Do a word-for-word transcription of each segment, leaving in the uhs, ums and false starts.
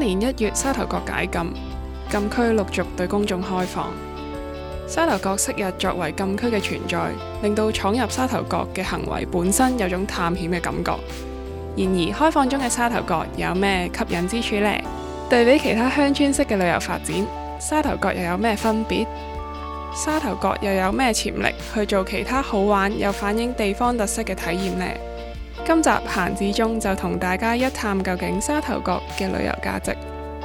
年一月沙頭角解禁，禁區陸續對公眾開放。沙頭角昔日作為禁區嘅存在，令到闖入沙頭角嘅行為本身有種探險嘅感覺。然而開放中嘅沙頭角有咩吸引之處呢？對比其他鄉村式嘅旅遊發展，沙頭角又有咩分別？沙頭角又有咩潛力去做其他好玩又反映地方特色嘅體驗呢？今集閒置中就同大家一探究竟沙頭角嘅旅遊價值，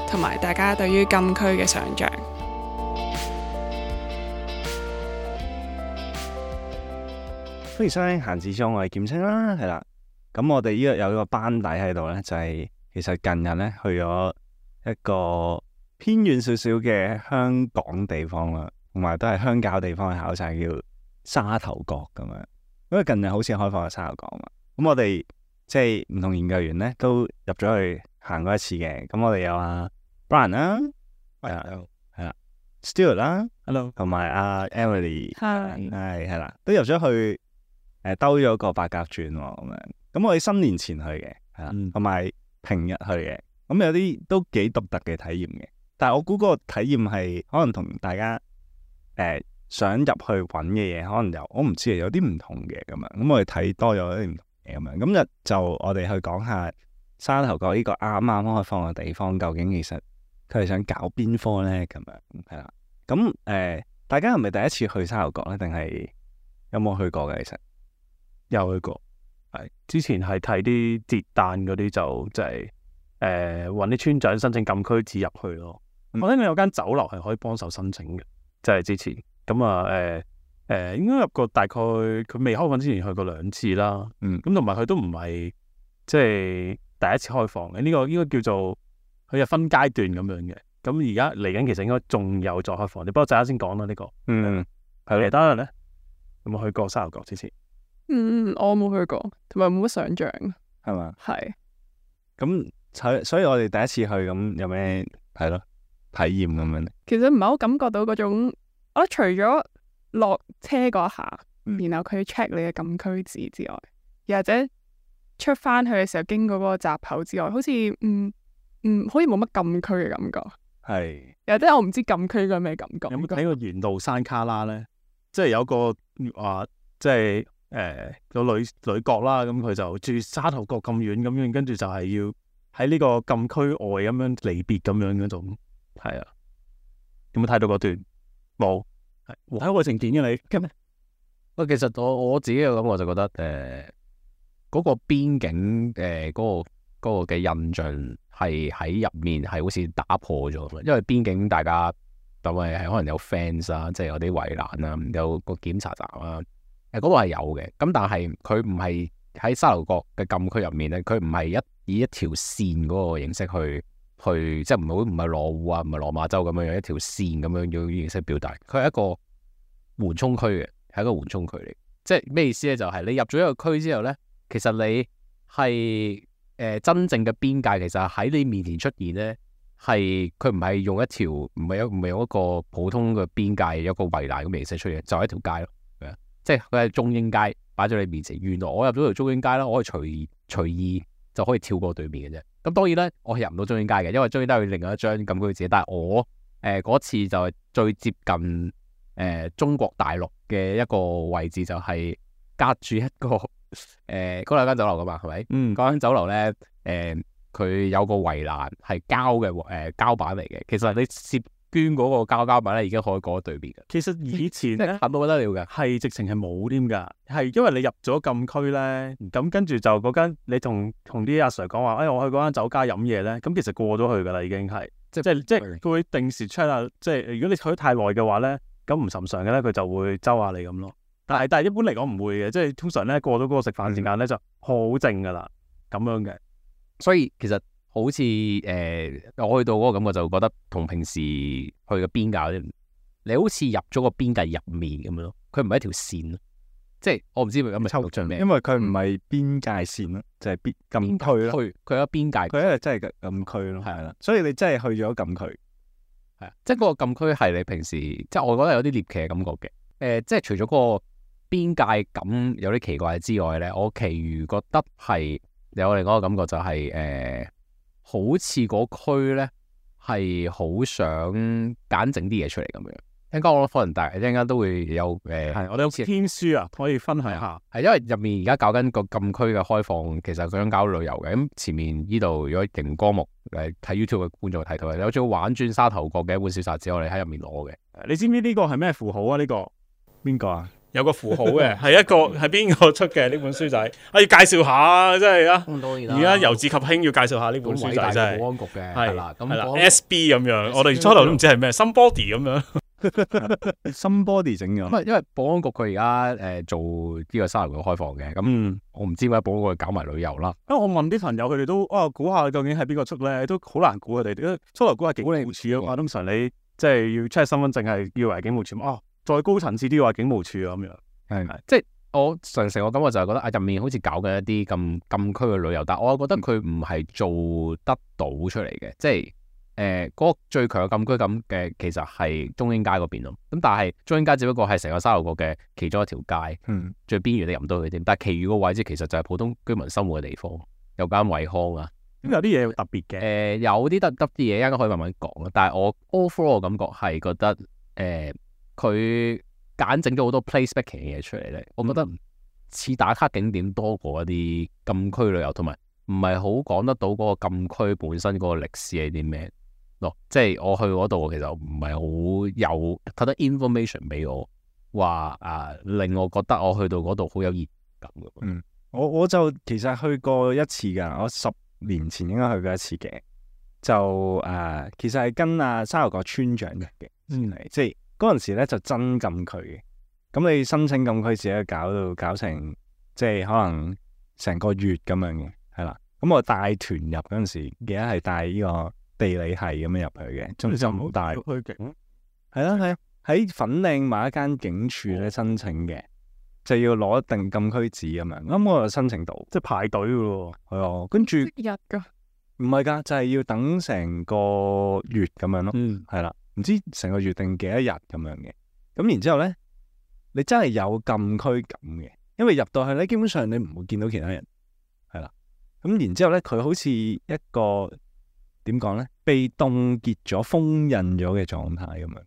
同埋大家對於禁區嘅想像。歡迎收聽閒置中，我係劍青啦，係啦。咁我哋呢個有一個班底喺度呢，就係、是、其實近日呢去咗一個偏遠少少嘅香港地方啦，同埋都係鄉郊地方去考察，叫沙頭角咁樣。因為近日好似開放咗沙頭角嘛。咁我哋即係唔同研究員咧，都入咗去行過一次嘅。咁我哋有阿 Brian 啦，係啦，係啦 Stuart 啦 ，Hello， 同埋阿 Emily， 係係啦，都入咗去誒，兜咗個八甲轉咁樣。咁我哋新年前去嘅，係啦，同埋、嗯、平日去嘅。咁有啲都幾獨特嘅體驗嘅。但係我估嗰個體驗係可能同大家誒、呃、想入去揾嘅嘢，可能有我唔知啊，有啲唔同嘅咁樣。咁我哋睇多咗啲唔同。咁樣，今日就我哋去講下沙頭角呢個啱啱開放嘅地方，究竟其實佢係想搞邊科呢？咁樣係啦。咁誒、呃，大家係咪第一次去沙頭角呢？定係有冇去過嘅？其實有去過，係之前係睇啲節誕嗰啲，就即係誒搵啲村長申請禁區紙入去咯。嗯、我聽講有間酒樓係可以幫手申請嘅，即係之前咁啊誒。呃誒、呃、應該入過大概佢未開放之前去過兩次啦，嗯，咁同埋佢都唔係即係第一次開放嘅，呢、這個應該叫做佢係分階段咁樣嘅。咁而家嚟緊其實應該仲有再開放，你不過陣間先講啦呢個。嗯，係其他人咧有冇去過沙頭角之前？嗯，我冇去過，同埋冇乜想像，係嘛？係。咁所所以我哋第一次去咁有咩係咯體驗咁樣咧？其實唔係好感覺到嗰種，我除咗落車嗰下，然後佢 check 你嘅禁區紙之外，又或者出翻去嘅時候經過嗰個閘口之外，好似嗯嗯，好似冇乜禁區嘅感覺。係，又或者我唔知禁區係咩感覺。有冇睇過沿路山卡拉咧？即係有個話，即係誒個女女角啦，咁佢就住沙頭角咁遠咁樣，跟住就係要喺呢個禁區外咁樣離別咁樣嗰種。係啊，有冇睇到嗰段？冇。睇愛情片嘅你，喂，其實我我自己嘅感覺就覺得，誒、呃，嗰、那個邊境誒，嗰、呃那個嗰、那個嘅印象係喺入面係好似打破咗，因為邊境大家就係係可能有 fence 啊，即係有啲圍欄啊，有個檢查站啊，誒、呃，嗰度係有嘅。咁但係佢唔係喺沙頭角嘅禁區入面咧，佢唔係一以一條線嗰個形式去。去即係唔好唔係羅湖啊，唔係落馬洲咁樣樣一條線咁樣要形式表達，佢係一個緩衝區嘅，係一個緩衝區嚟。即係咩意思咧？就係、是、你入咗一個區之後咧，其實你係誒、呃、真正嘅邊界，其實喺你面前出現咧，係佢唔係用一條唔係一唔係用一個普通嘅邊界，有一個圍欄咁形式出現，就係、是、一條街咯。即係佢係中英街擺咗你面前，原來我入咗條中英街啦，我可以隨隨意就可以跳過對面嘅啫。咁當然咧，我係入唔到中英街嘅，因為中英街有另外一張禁區紙。但係我誒嗰、呃、次就係最接近誒、呃、中國大陸嘅一個位置，就係隔住一個誒嗰兩間酒樓噶嘛，係咪？嗯，嗰間酒樓咧誒，佢、呃、有個圍欄係膠嘅誒膠板嚟嘅。其實你攝捐嗰個膠膠板咧，已經可以過咗對面嘅。其實以前咧，近到不得了嘅，係直情係冇添㗎。係因為你入咗禁區咧，咁跟住就嗰間你同同啲阿 Sir 講話，哎，我去嗰間酒家飲嘢咧，咁其實過咗去㗎啦，已經係即係即係佢會定時 check 下，即係如果你去得太耐嘅話咧，咁唔尋常嘅咧，佢就會周下你咁咯。但係但係一般嚟講唔會嘅，即係通常咧過咗嗰個食飯時間咧就好靜㗎啦，咁樣嘅。所以其實。好似誒、呃，我去到嗰個感覺就覺得同平時去嘅邊界，你好似入咗個邊界入面咁樣咯。佢唔係一條線咯，即係我唔知佢咁咪抽象咩？因為佢唔係邊界線咯，就係、是、邊禁區咯。佢佢有邊界，佢一係真係禁區咯，係啦。所以你真係去咗禁區，係啊，即係嗰個禁區係你平時，即係我覺得有啲獵奇嘅感覺嘅。誒、呃，即係除咗嗰個邊界感有啲奇怪之外咧，我其餘覺得係有另外一個感覺就係、是、誒。呃好似嗰區咧係好想揀整啲嘢出嚟咁樣。一陣間我可能大，一陣間都會有誒，係我哋有篇書啊，可以分享下。係因為入面而家搞緊個禁區嘅開放，其實佢想搞旅遊嘅。咁前面呢度如果熒光幕誒睇 YouTube 嘅觀眾睇到嘅，有張玩轉沙頭角嘅一本小冊子，我哋喺入面攞嘅。你知唔知呢個係咩符號啊？呢、這個邊個啊？有個符號嘅，係一個係邊個出嘅呢本書仔？我要介紹下，真係啊！而家由治及興要介紹下呢本書仔，真係保安局嘅係啦，咁係啦保，S B 咁樣，我哋初頭都唔知係咩，Somebody 咁樣。新 body 整咗，唔係因為保安局佢而家誒做呢個沙頭角開放嘅，咁、嗯、我唔知點解保安局搞埋旅遊啦。因為我問啲朋友，佢哋都啊估下究竟係邊個出咧，都好難估佢哋。因為初頭估係警務處啊嘛，通常你即係要 check 身份證係要為警務處啊，再高層次啲話警務處啊咁樣。係係，即係我常成我感覺就係覺得啊入面好似搞緊一啲咁禁區嘅旅遊，但係我覺得佢唔係做得到出嚟嘅，即係。誒嗰個最強嘅禁區咁嘅，其實係中英街嗰邊咯。咁但係中英街只不過係成個沙頭角嘅其中一條街，嗯，最邊緣你入唔到去添。但係其餘個位置其實就係普通居民生活嘅地方，有間惠康啊。咁有啲嘢特別嘅。誒、呃、有啲得得啲嘢，一陣間可以慢慢講啊。但係我 overall 嘅感覺係覺得誒佢揀整咗好多 place making 嘅嘢出嚟咧，我覺得似打卡景點多過一啲禁區旅遊，同埋唔係好講得到嗰個禁區本身嗰個歷史係啲咩。咯，即係我去嗰度，其實唔係好有睇得 information 俾我，話啊令我覺得我去到嗰度好有熱感嘅。嗯，我我就其實去過一次㗎，我十年前應該去過一次嘅，就誒、呃、其實係跟阿沙頭角村長嘅嘅，嗯，即係嗰陣時咧就真禁區嘅，咁你申請禁區自己搞到搞成即係可能成個月咁樣嘅，係啦，咁我帶團入嗰陣時，記得係帶呢個地理系咁樣入去嘅，總之就唔好帶。去景係啦係啊，喺粉嶺某一間警署咧申請嘅，就要攞一定禁區紙咁樣。咁我就申請到，即係排隊嘅喎。係啊，跟住即日噶，唔係㗎，就係、是、要等成個月咁樣咯。嗯，係啦，唔知成個月定幾多日咁樣嘅。咁然之後咧，你真係有禁區感嘅，因為入到去咧，基本上你唔會見到其他人。係啦，咁然之後咧，佢好似一個。點講咧？被凍結咗、封印咗嘅狀態咁樣，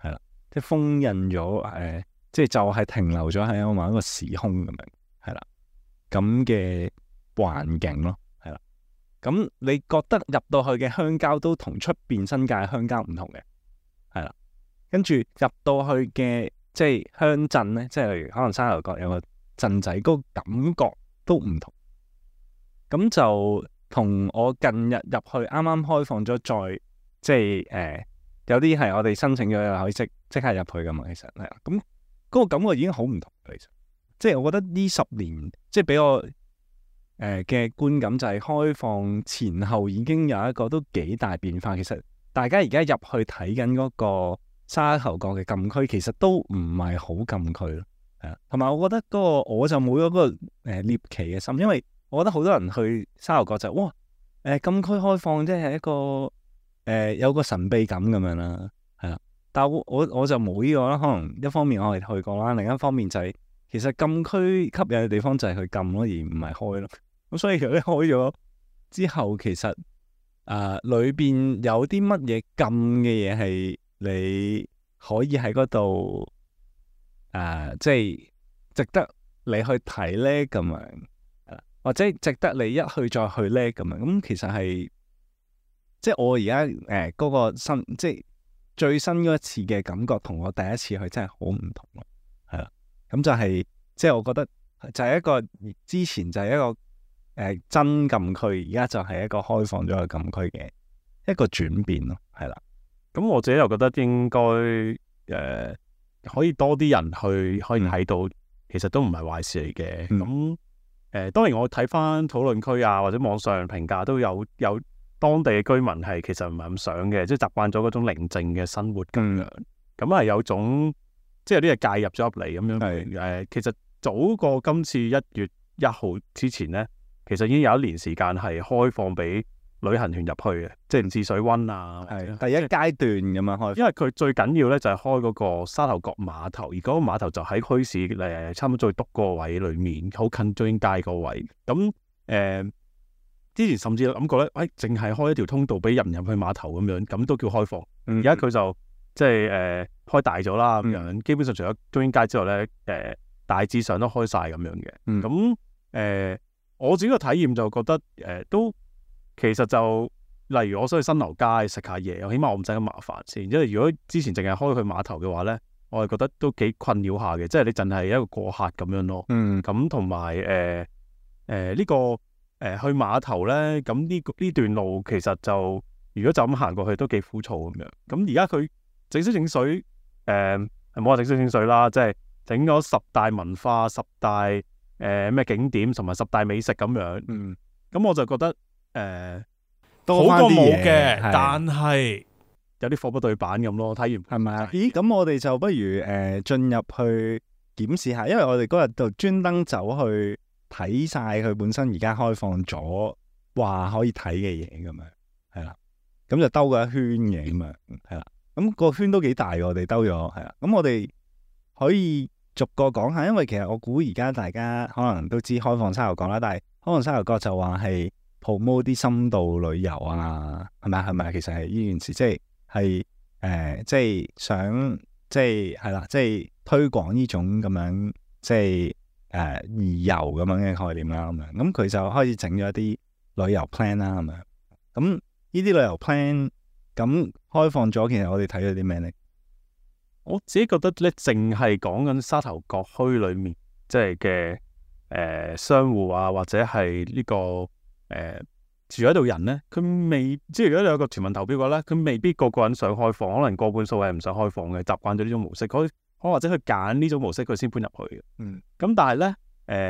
係啦，即係封印咗誒、呃，即係就係停留咗喺某一個時空咁樣，係啦，咁嘅環境咯，係啦。咁你覺得入到去嘅鄉郊都同出邊新界鄉郊唔同嘅，係啦。跟住入到去嘅即係鄉鎮咧，即係例如可能沙頭角有個鎮仔，嗰個感覺都唔同。咁就。同我近日入去啱啱開放咗，再即係誒、呃、有啲係我哋申請咗又可以即即刻入去噶嘛，其實係咁嗰個感覺已經好唔同。其實即係我覺得呢十年即係俾我誒嘅、呃、觀感就係開放前後已經有一個都幾大變化。其實大家而家入去睇緊嗰個沙頭角嘅禁區，其實都唔係好禁區咯，係啊。同埋我覺得嗰、嗰個我就冇咗嗰個誒獵奇嘅心，因為我覺得好多人去沙頭角就哇誒、呃、禁區開放，即係一個誒、呃、有個神秘感咁樣啦，係啦。但係我我我就冇呢個啦。可能一方面我係去過啦，另一方面就係、是、其實禁區吸引嘅地方就係去禁咯，而唔係開咯。咁所以其實你開咗之後，其實誒裏邊有啲乜嘢禁嘅嘢係你可以喺嗰度誒，即係值得你去睇咧咁樣。或者值得你一去再去咧咁樣，咁其實係即係我而家誒嗰個新即係最新嗰一次嘅感覺，同我第一次去真係好唔同咯，係啦，咁就係、是、即係我覺得就係一個之前就係一個誒、呃、真禁區，而家就係一個開放咗嘅禁區嘅一個轉變咯，係啦。咁我自己又覺得應該誒、呃、可以多啲人去可以睇到，其實都唔係壞事嚟嘅。咁、嗯誒、呃、當然我睇翻討論區啊，或者網上評價都有有當地嘅居民係其實唔係咁想嘅，即係習慣咗嗰種寧靜嘅生活咁樣。咁係、嗯、有種即係有啲嘢介入咗入嚟咁樣。係誒是、呃，其實早過今次一月一號之前咧，其實已經有一年時間係開放俾旅行團入去嘅，即係試水溫啊。係第一階段咁樣開，因為佢最緊要咧就係開嗰個沙頭角碼頭，而嗰個碼頭就喺墟市誒差唔多最篤嗰個位裏面，好近中英街嗰位。咁誒之前甚至諗過咧，誒淨係開一條通道俾人入去碼頭咁樣，咁都叫開放。嗯而家佢就即係誒、呃、開大咗啦，咁樣、嗯、基本上除咗中英街之外咧，誒、呃、大致上都開晒咁樣嘅。嗯咁誒、呃、我自己個體驗就覺得誒、呃、都其實就例如我想去新樓街食下嘢，起碼我唔使咁麻煩先。因為如果之前淨係開去碼頭嘅話咧，我係覺得都幾困擾下嘅，即係你淨係一個過客咁樣咯。嗯咁同埋誒誒呢個誒、呃、去碼頭咧，咁呢呢段路其實就如果就咁行過去都幾枯燥咁樣。咁而家佢整水整水誒冇話整水整水啦，即係整咗十大文化、十大誒咩、呃、景點同埋十大美食咁樣。嗯，咁我就覺得誒、呃、多好過返啲嘢冇嘅，係但係有啲貨不對版咁咯。睇完係咪啊？咦，咁我哋就不如誒進入去檢視下，因為我哋嗰日就專登走去睇晒佢本身而家開放咗話可以睇嘅嘢咁樣，係啦，咁就兜過一圈嘅咁樣，係啦，咁個圈都幾大嘅，我哋兜咗，係啦，咁我哋可以逐個講下，因為其實我估而家大家可能都知開放沙頭角啦，但係開放沙頭角就話係 promote 啲深度旅遊啊，係咪啊？係咪啊？其實係呢件事，即係係誒，即係想，即係係啦，即係推廣呢種咁樣，即係誒義遊咁樣嘅概念啦，咁樣，咁佢就開始整咗一啲旅遊 plan 啦，咁樣，咁呢啲旅遊 plan 咁開放咗，其實我哋睇咗啲咩咧？我自己覺得咧，淨係講緊沙頭角區裏面即係嘅誒商戶啊，或者係呢、這個誒、呃、住喺度人咧，佢未即係如果你有個全民投票嘅話咧，佢未必個個人想開放，可能過半數係唔想開放嘅，習慣咗呢種模式，可可或者佢揀呢種模式佢先搬入去嘅。嗯，咁但係咧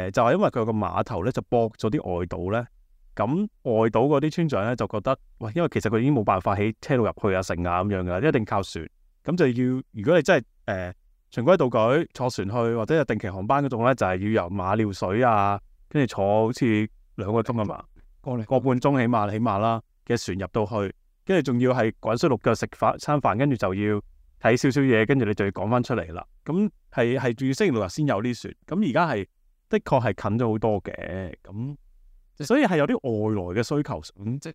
誒就係、是、因為佢有個碼頭咧，就駁咗啲外島咧，咁外島嗰啲村長咧就覺得喂，因為其實佢已經冇辦法起車路入去啊、城啊咁樣噶，一定靠船。咁就要，如果你真係誒、呃、循規蹈矩坐船去，或者有定期航班嗰種咧，就係、是、要由馬料水啊，跟住坐好似兩個鐘啊嘛，個個半鐘起碼起碼啦嘅船入到去，跟住仲要係滾水淥腳食飯餐飯，跟住就要睇少少嘢，跟住你就要趕翻出嚟啦。咁係係仲要星期六日先有啲船，咁而家係的確係近咗好多嘅，咁所以係有啲外來嘅需求，咁即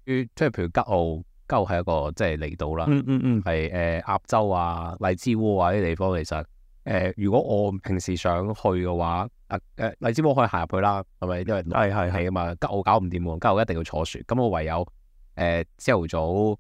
即係譬如吉澳。吉澳係一個即係離島啦，嗯嗯嗯，係誒鴨洲啊、荔枝窩啊呢啲地方，其實誒、呃、如果我平時想去嘅話，誒、呃、誒荔枝窩可以行入去啦，係咪？因為係係係啊嘛，吉澳搞唔掂喎，吉澳一定要坐船，咁我唯有誒朝頭早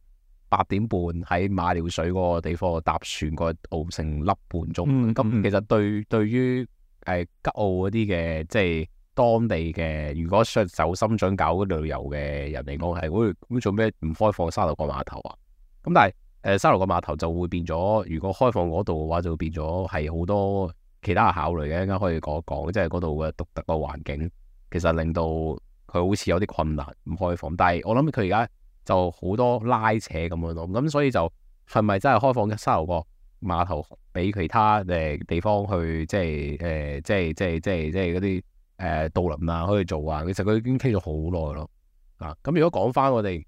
八點半喺馬料水嗰個地方搭船過去澳成粒半鐘，咁、嗯嗯、其實對對於誒、呃、吉澳嗰啲嘅即係。當地嘅如果想走深圳搞旅遊嘅人嚟講，係會咁做咩唔開放沙頭角碼頭啊？咁但係誒、呃、沙頭角碼頭就會變咗，如果開放嗰度嘅話，就會變咗係好多其他嘅考慮嘅。一陣間可以講一講，即係嗰度嘅獨特嘅環境，其實令到佢好似有啲困難唔開放。但係我諗佢而家就好多拉扯咁樣咯。咁所以就係咪真係開放沙頭角碼頭俾其他誒地方去，即係誒、呃、即係即係即係即係嗰啲？誒渡輪啊，可以做啊，其實佢已經傾咗好耐咯。啊，咁如果講翻我哋，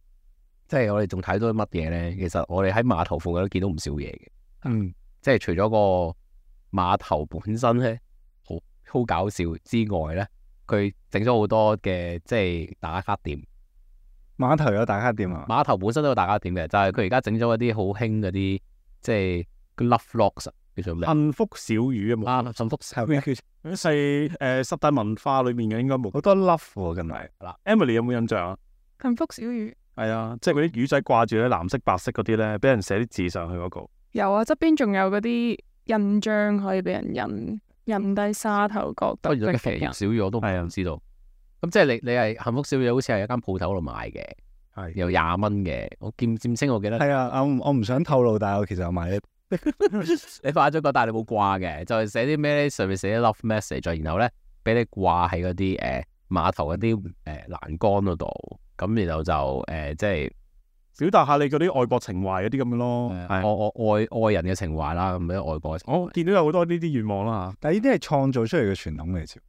即係我哋仲睇到啲乜嘢咧？其實我哋喺碼頭附近都見到唔少嘢嘅。嗯，即係除咗個碼頭本身咧，好好搞笑之外咧，佢整咗好多嘅即係打卡點。碼頭有打卡點啊？碼頭本身都有打卡點嘅，就係佢而家整咗一啲好興嗰啲，即係 love locks 叫做咩？幸福小語啊嘛。啊，幸福小咩叫？嗰細誒十大文化裏面嘅應該冇好多 love 喎，近嚟嗱。Emily 有冇印象啊？幸福小語係啊，即係嗰啲魚仔掛住咧藍色白色嗰啲咧，俾人寫啲字上去嗰、那個。有啊，側邊仲有嗰啲印章可以俾人印印低沙頭角特色嘅人。小語我都唔知道。咁即係你你係幸福小語，好似係一間鋪頭度買嘅，係有廿蚊嘅。我見佔清我記得係啊，我我唔想透露，但係我其實有買。你發咗個，但係你冇掛嘅，就係寫啲咩咧？上面寫啲 love message，然後咧俾你掛喺嗰啲誒碼頭嗰啲誒欄杆嗰度，咁然後就誒、呃、即係表達下你嗰啲愛國情懷嗰啲咁嘅咯，愛愛愛愛人嘅情懷啦，咁樣愛國。我見到有好多呢啲願望啦嚇，但係呢啲係創造出嚟嘅傳統嚟，係，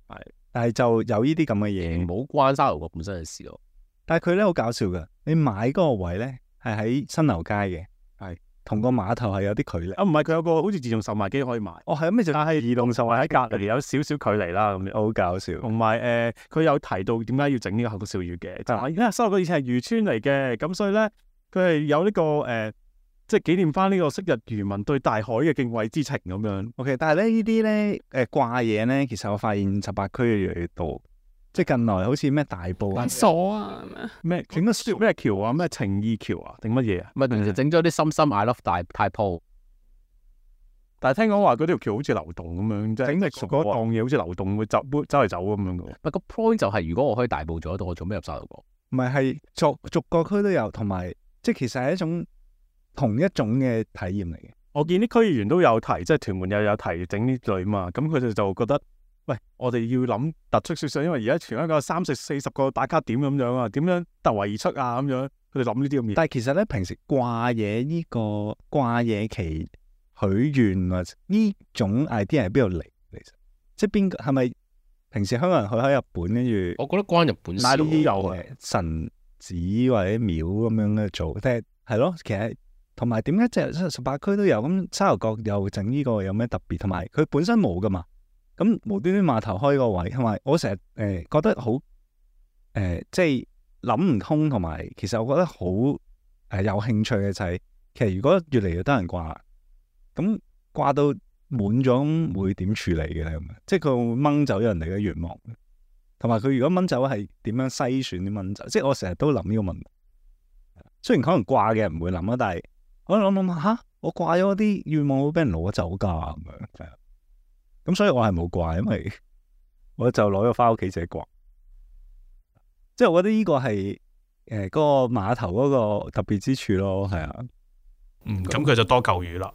但係就有呢啲咁嘅嘢，冇關沙頭角本身嘅事咯。但係佢咧好搞笑噶，你買嗰個位咧係喺新樓街嘅，係。同個碼頭係有啲距離。啊，唔係佢有個好似自動售賣機可以買，哦，係咩？就但係自動售賣喺隔離有少少距離啦咁樣。好搞笑。同埋誒，佢、呃、有提到點解要整呢個口角笑語嘅，就係而家沙頭角以前係漁村嚟嘅，咁所以咧佢係有呢、這個誒、呃，即係紀念翻呢個昔日漁民對大海嘅敬畏之情咁樣。OK，但係咧呢啲咧誒掛嘢咧，其實我發現十八區越嚟越多，即係近來好似咩大埔啊、鎖啊咩整咗咩橋啊、咩情義橋啊定乜嘢啊？咪平時整咗啲深深 I love 大太鋪，但係聽講話嗰條橋好似流動咁樣，即係整嗰檔嘢好似流動會走走嚟走咁樣嘅。咪個 point 就係如果我可以大埔做得到，我做咩入沙頭角？唔係係逐逐個區都有，同埋即係其實係一種同一種嘅體驗嚟嘅。我見啲區議員都有提，即係屯門又有提整呢類嘛，咁佢哋就覺得，喂，我哋要諗突出少少，因為而家全香港有三十四十個打卡點咁樣啊，點樣突圍而出啊咁樣，佢哋諗呢啲咁嘢。但係其實咧，平時掛嘢呢個掛嘢期許願啊，呢種 idea 係邊度嚟？其實即係邊個係咪平時香港人去喺日本跟住？我覺得關日本事買啲有誒神寺或者廟咁樣去做，即係係咯。其實同埋點解即係十八區都有咁沙頭角又整呢個有咩特別？同埋佢本身冇噶嘛，咁無端端碼頭開個位，同埋我成日誒覺得好誒、呃，即係諗唔通，同埋其實我覺得好誒、呃、有興趣嘅就係、是，其實如果越嚟越多人掛，咁掛到滿咗，咁會點處理嘅咧？咁樣即係佢會掹走人哋嘅願望，同埋佢如果掹走係點樣篩選啲掹走？即係我成日都諗呢個問題。雖然可能掛嘅人唔會諗啊，但係我諗諗下，吓我掛咗啲願望會俾人攞走㗎咁樣，係啊。咁所以我係冇掛，因為我就攞咗翻屋企自己掛。即係我覺得呢個係誒嗰個碼頭嗰個特別之處咯，係啊。嗯，咁佢就多嚿魚啦。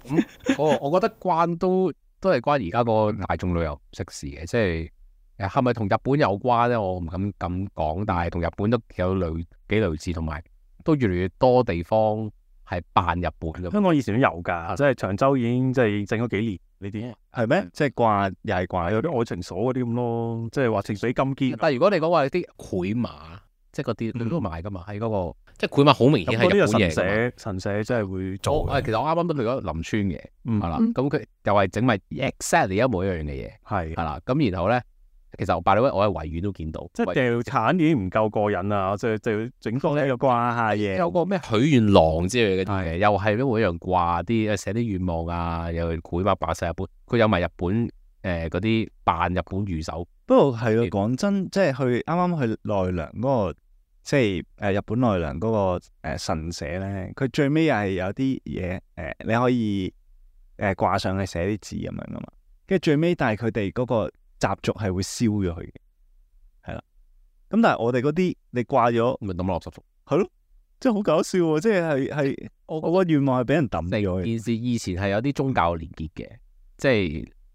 咁我我覺得關都都係關而家個大眾旅遊食事嘅，即係誒係咪同日本有關咧？我唔敢咁講，但係同日本都有類幾類似，同埋都越嚟越多地方係扮日本嘅。香港以前都有㗎，即係長洲已經即係整咗幾年呢啲。係咩？即係掛又係掛有啲愛情鎖嗰啲咁咯，即係話情水金堅。但係如果你講話啲繪馬，即係嗰啲你都賣㗎嘛，喺嗰個。即係繪馬好明顯係日本嘢㗎嘛，神社真係會做。哦，其實我啱啱都去咗林村嘅，嗯，係啦，咁佢又係整埋 exactly 一模一樣嘅嘢，係係啦，咁然後咧，其實我拜到我喺維園都見到，即係掉產已經唔夠過癮啦，即係就要整多呢個掛下嘢，有個咩許願廊之類嘅啲嘅，又係一模一樣掛啲寫啲願望啊，又繪馬擺晒日本，佢有埋日本誒嗰啲扮日本御守。不過係咯，講真，即係去啱啱去奈良嗰個。即係誒、呃、日本奈良嗰、那個、呃、神社咧，佢最尾又係有啲嘢誒，你可以誒掛、呃、上去寫啲字咁樣噶嘛。跟住最尾，但係佢哋嗰個習俗係會燒咗佢嘅，係啦。咁但係我哋嗰啲你掛咗，咪抌落垃圾桶。係咯，即係好搞笑喎！即係係係我我個願望係俾人抌咗嘅。件事以前係有啲宗教連結嘅，即係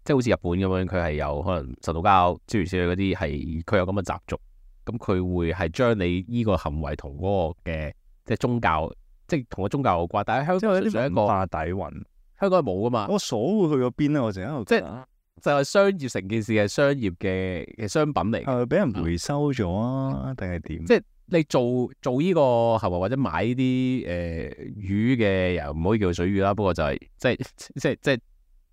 即係好似日本咁樣，佢係有可能神道教諸如此類嗰啲係佢有咁嘅習俗。咁佢會係將你依個行為同嗰個嘅即係宗教，即係同個宗教有關。但係香港純粹一個文化底蘊，香港係冇噶嘛。我鎖會去咗邊咧？我成日喺度即係就係商業成件事係商業嘅嘅商品嚟。係咪俾人回收咗啊？定係點？即係你做做依個行為或者買呢啲誒魚嘅，又唔可以叫水魚啦。不過就係即係即係即係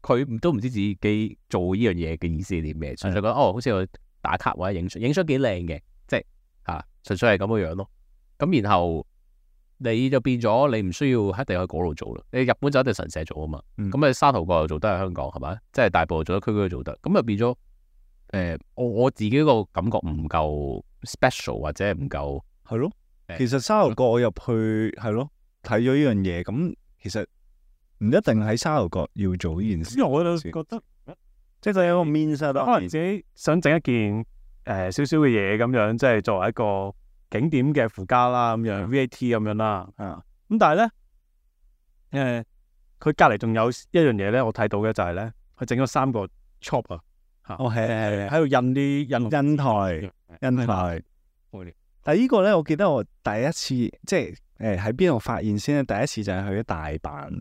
佢都唔知自己做呢樣嘢嘅意思係啲咩，純粹覺得哦，好似去打卡或者影相，影相幾靚嘅。即係嚇，純粹係咁嘅樣咯。咁然後你就變咗，你唔需要一定喺嗰度做啦。你日本就一定神社做啊嘛。咁你、嗯、沙頭角又做得，喺香港係咪？即係大埔做得，區區都做得。咁就變咗誒、呃，我我自己個感覺唔夠 special 或者唔夠係咯。其實沙頭角我入去係咯，睇咗呢樣嘢，咁其實唔一定喺沙頭角要做呢件事。因為我就覺得即係有一個 means 可能自己想整一件。誒少少嘅嘢咁樣，即係作為一個景點嘅附加啦，咁樣 V A T 咁樣啦。啊，咁但係咧，誒佢隔離仲有一樣嘢咧，我睇到嘅就係咧，佢整咗三個 chop 啊，嚇，哦係係係，喺度印啲印印台印台。但係呢個咧，我記得我第一次即係誒喺邊度發現先咧？第一次就係去咗大阪，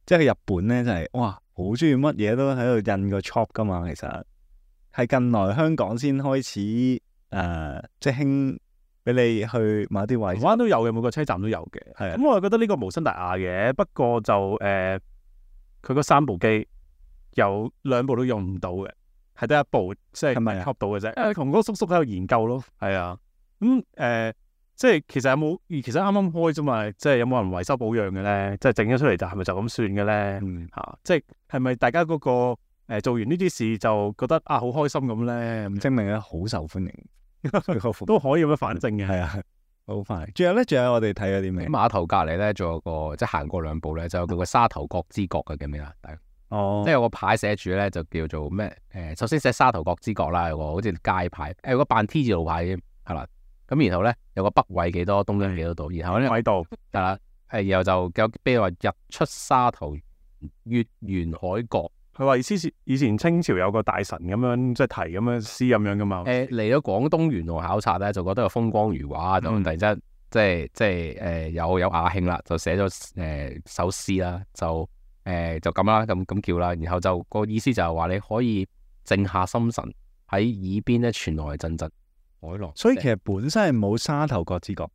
即係去日本咧，就係哇好中意乜嘢都喺度印個 chop 噶嘛，其實。係近來香港先開始誒、呃，即係興俾你去某啲位台。灣都有嘅，每個車站都有嘅。係啊咁我又覺得呢個無傷大雅嘅，不過就誒，佢、嗰三部機有兩部都用唔到嘅，係得一部即係係咪啊吸到嘅啫。誒，同嗰個叔叔喺度研究咯，係啊。咁、嗯、誒、呃，即係其實有冇？其實啱啱開啫嘛，即係有冇人維修保養嘅咧？即係整咗出嚟就係咪就咁算嘅咧？嗯嚇、即係係咪大家嗰、個誒、呃、做完呢啲事就覺得啊好開心咁咧？證明咧好受歡迎，都可以咁樣反證嘅。係啊，好快。仲有咧，仲有我哋睇咗啲咩喺？碼頭隔離咧，仲有個即係行過兩步咧，就有個沙頭角之角嘅，記唔記得？大家哦即係有個牌寫住咧，就叫做咩？誒、首先寫沙頭角之角啦，有個好似街牌，誒、有個扮 T 字路牌嘅，係啦。咁然後咧有個北緯幾多，東經幾多度，然後咧喺度係啦，誒然後就有譬如話日出沙頭，月圓海角。佢話意思是以前清朝有個大臣咁樣即係提咁樣詩咁樣噶嘛。誒嚟咗廣東沿路考察咧，就覺得有風光如畫，就嗯突然之間即係即係誒有有雅興啦，就寫咗誒首詩啦，就誒、呃就咁啦，咁咁叫啦，然後就個意思就係話你可以靜下心神，喺耳邊咧傳來陣陣海浪，所以其實本身係冇沙頭角之角，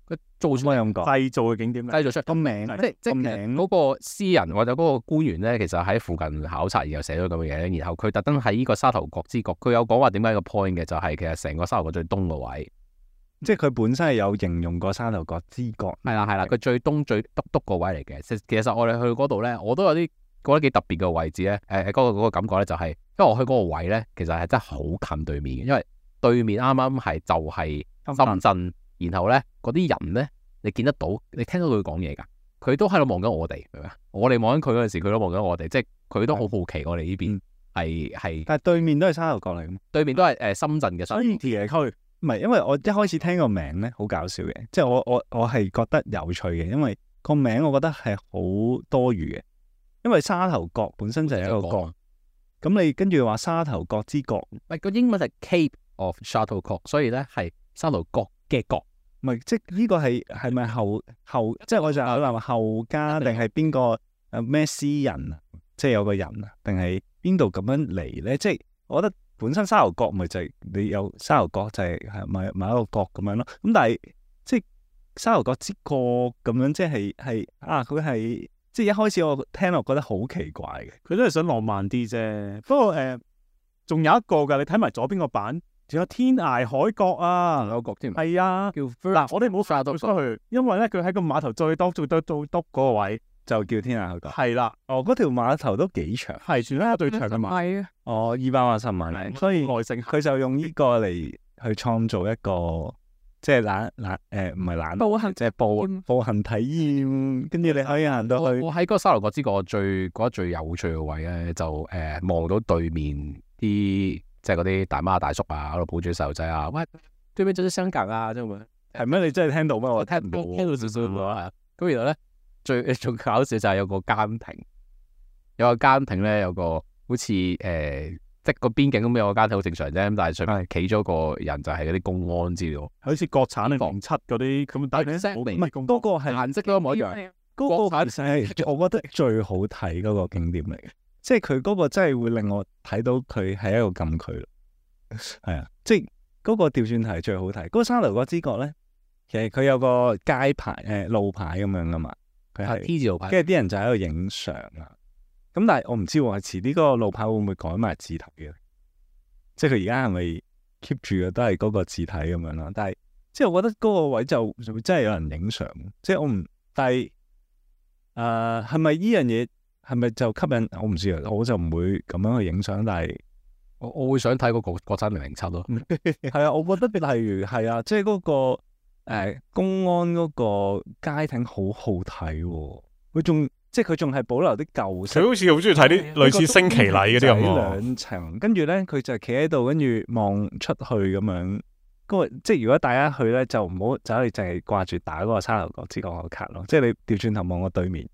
佢做出可以咁講。製造嘅景點咧，製造出個名即係即係個其實名嗰個詩人或者嗰個官員咧，其實喺附近考察，然後寫咗咁嘅嘢，然後佢特登喺呢個沙頭角之角，佢有講話點解個 point 嘅，就係其實成個沙頭角最東個位，即係佢本身係有形容過沙頭角之角。係啦係啦，佢最東最篤篤個位嚟嘅。其其實我哋去嗰度咧，我都有啲覺得幾特別嘅位置咧。誒、誒嗰個嗰個感覺咧就係、因為我去嗰個位咧，其實係真係好近對面嘅，因為對面啱啱係就係深圳，然後咧嗰啲人咧，你見得到，你聽到佢講嘢㗎，佢都喺度望緊我哋，明唔明啊？我哋望緊佢嗰陣時，佢都望緊我哋，即係佢都好好奇我哋呢邊係係但係對面都係沙頭角嚟嘅嘛。對面都係誒深圳嘅，所以其實區唔係，因為我一開始聽個名咧好搞笑嘅，即係我我我係覺得有趣嘅，因為個名我覺得係好多餘嘅，因為沙頭角本身就係一個角，咁你跟住話沙頭角之角，唔係個英文係 Cape of Shuttlecock，所以咧係沙頭角嘅角。唔係即係呢個係係咪後後即係我就係諗話後家定係邊個誒咩詩人啊？即係有個人啊，定係邊度咁樣嚟咧？即係我覺得本身沙頭角咪就係你有沙頭角就係係咪某一個角咁樣咯。咁但係即係沙頭角之角咁樣，即係係啊佢係即係一開始我聽落覺得好奇怪嘅。佢都係想浪漫啲啫。不過誒，仲、有一個㗎，你睇埋左邊個版，仲有天涯海角啊，有個角添，係啊。叫嗱，我哋冇發到出去，因為咧佢喺個碼頭最多最多最篤嗰個位，就叫天涯海角。係啦，哦，嗰條碼頭都幾長，係全香港最長嘅碼。係啊，哦，二百八十米，所以耐性佢就用呢個嚟去創造一個即係懶懶誒，唔係懶，步行即係步體驗步行體驗，跟住你可以行到去。我我喺嗰個沙頭角之角最覺得最有趣嘅位咧，就誒望、到對面啲即係嗰啲大媽大叔啊，喺度抱住細路仔啊，喂，對面就是香港啊，咁樣。係咩？你真係聽到咩？我我聽唔到，聽到少少喎。係啊，咁然後咧最最搞笑就係有個監亭，有個監亭咧有個好似誒、呃即係個邊境咁有個監亭好正常啫，咁但係上面企咗個人就係嗰啲公安之類。好似國產啊零七嗰啲咁，但係係唔係嗰個係顏色都一模一樣。嗰國產個其實係我覺得最好睇嗰個景點嚟嘅，即係佢嗰個真係會令我睇到佢係一個禁區咯。係啊，即係嗰個調轉題最好睇。嗰個沙頭角之角咧，其實佢有個街牌誒路牌咁樣噶嘛，佢係 T 字路牌，跟住啲人就喺度影相啊。咁但係我唔知喎，遲啲嗰個路牌會唔會改埋字體嘅？即係佢而家係咪 keep 住嘅都係嗰個字體咁樣啦？但係即係我覺得嗰個位就就真係有人影相，即係我唔，但係誒係咪呢樣嘢係咪就吸引？我唔知啊，我就唔會咁樣去影相。但係我我會想睇嗰個國產零零七咯。係啊，我覺得例如係啊，即係嗰個誒公安嗰個街艇好好睇喎，佢仲。即係佢仲係保留啲舊式，佢好似好中意睇啲類似升旗禮嗰啲咁喎。兩層，跟住咧佢就企喺度，跟住望出去咁樣。嗰個即係如果大家去咧，就唔好走去淨係掛住打嗰個沙頭角之角個卡咯。即係你調轉頭望個對面，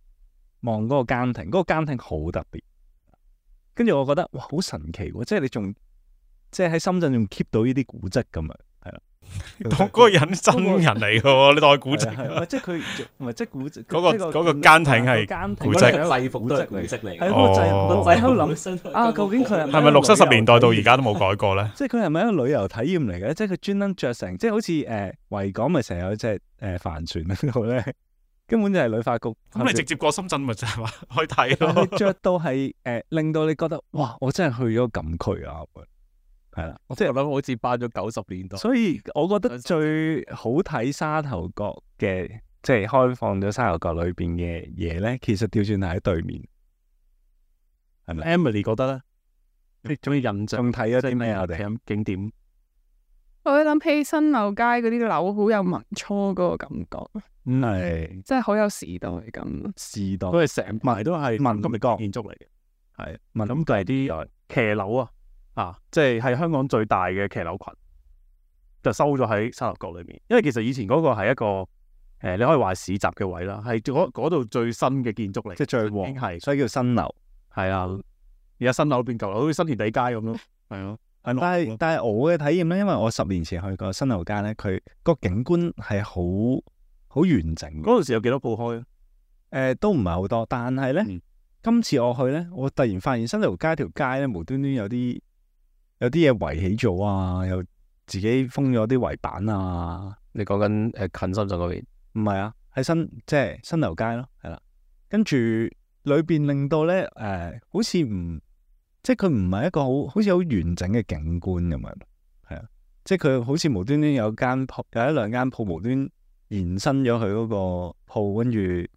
望嗰個監亭，嗰、嗰個監亭好特別。跟住我覺得哇，好神奇喎！即係你仲即係喺深圳仲 keep 到呢啲古蹟咁啊，係啦。嗰個人真人嚟嘅喎，你當係古蹟。係係即係佢唔係即係古蹟嗰個嗰個奸艇係古蹟，制服都係古蹟嚟。係嗰個制服，哦我喺度諗啊，究竟佢係係咪六七十年代到而家都冇改過咧？即係佢係咪一個旅遊體驗嚟嘅？即係佢專登着成，即係好似誒維港咪成日有隻誒帆船喺度咧，根本就係旅發局。咁你直接過深圳咪就係話可以睇但咯。係着到係誒，令到你覺得哇！我真係去咗禁區啊！係啦，即係我諗好似翻咗九十年代。所以我覺得最好睇沙頭角嘅，即係開放咗沙頭角裏邊嘅嘢咧，其實調轉係喺對面，係咪 Emily 覺得咧，你仲要印象仲睇咗啲咩啊？我哋睇景點？我諗起新樓街嗰啲樓好有民初嗰個感覺，嗯，係真係好有時代感。時代佢哋成排都係民金國建築嚟嘅。係民咁，佢係啲騎樓啊，啊，即係係香港最大嘅騎樓群，就收咗喺沙頭角裏面。因為其實以前嗰個係一個誒、呃，你可以話係市集嘅位啦，係嗰嗰度最新嘅建築嚟，即係最旺已經係所以叫新樓。係啊。而家新樓變舊樓，好似新填地街咁咯。係咯，係咯。但係但係我嘅體驗咧，因為我十年前去過新樓街咧，佢個景觀係好好完整嘅。嗰陣時有幾多鋪開啊？誒、都唔係好多，但係咧，嗯今次我去咧，我突然發現新樓街條街咧，無端端有啲有啲嘢圍起咗啊，又自己封咗啲圍板啊。你講緊誒近深圳嗰邊？唔係啊，喺新即係新樓街咯，係啦。跟住裏邊令到咧誒、好似唔即係佢唔係一個好好似好完整嘅景觀咁樣，係啊，即係佢好似無端端有間鋪有一兩間鋪無端延伸咗佢嗰個鋪，跟住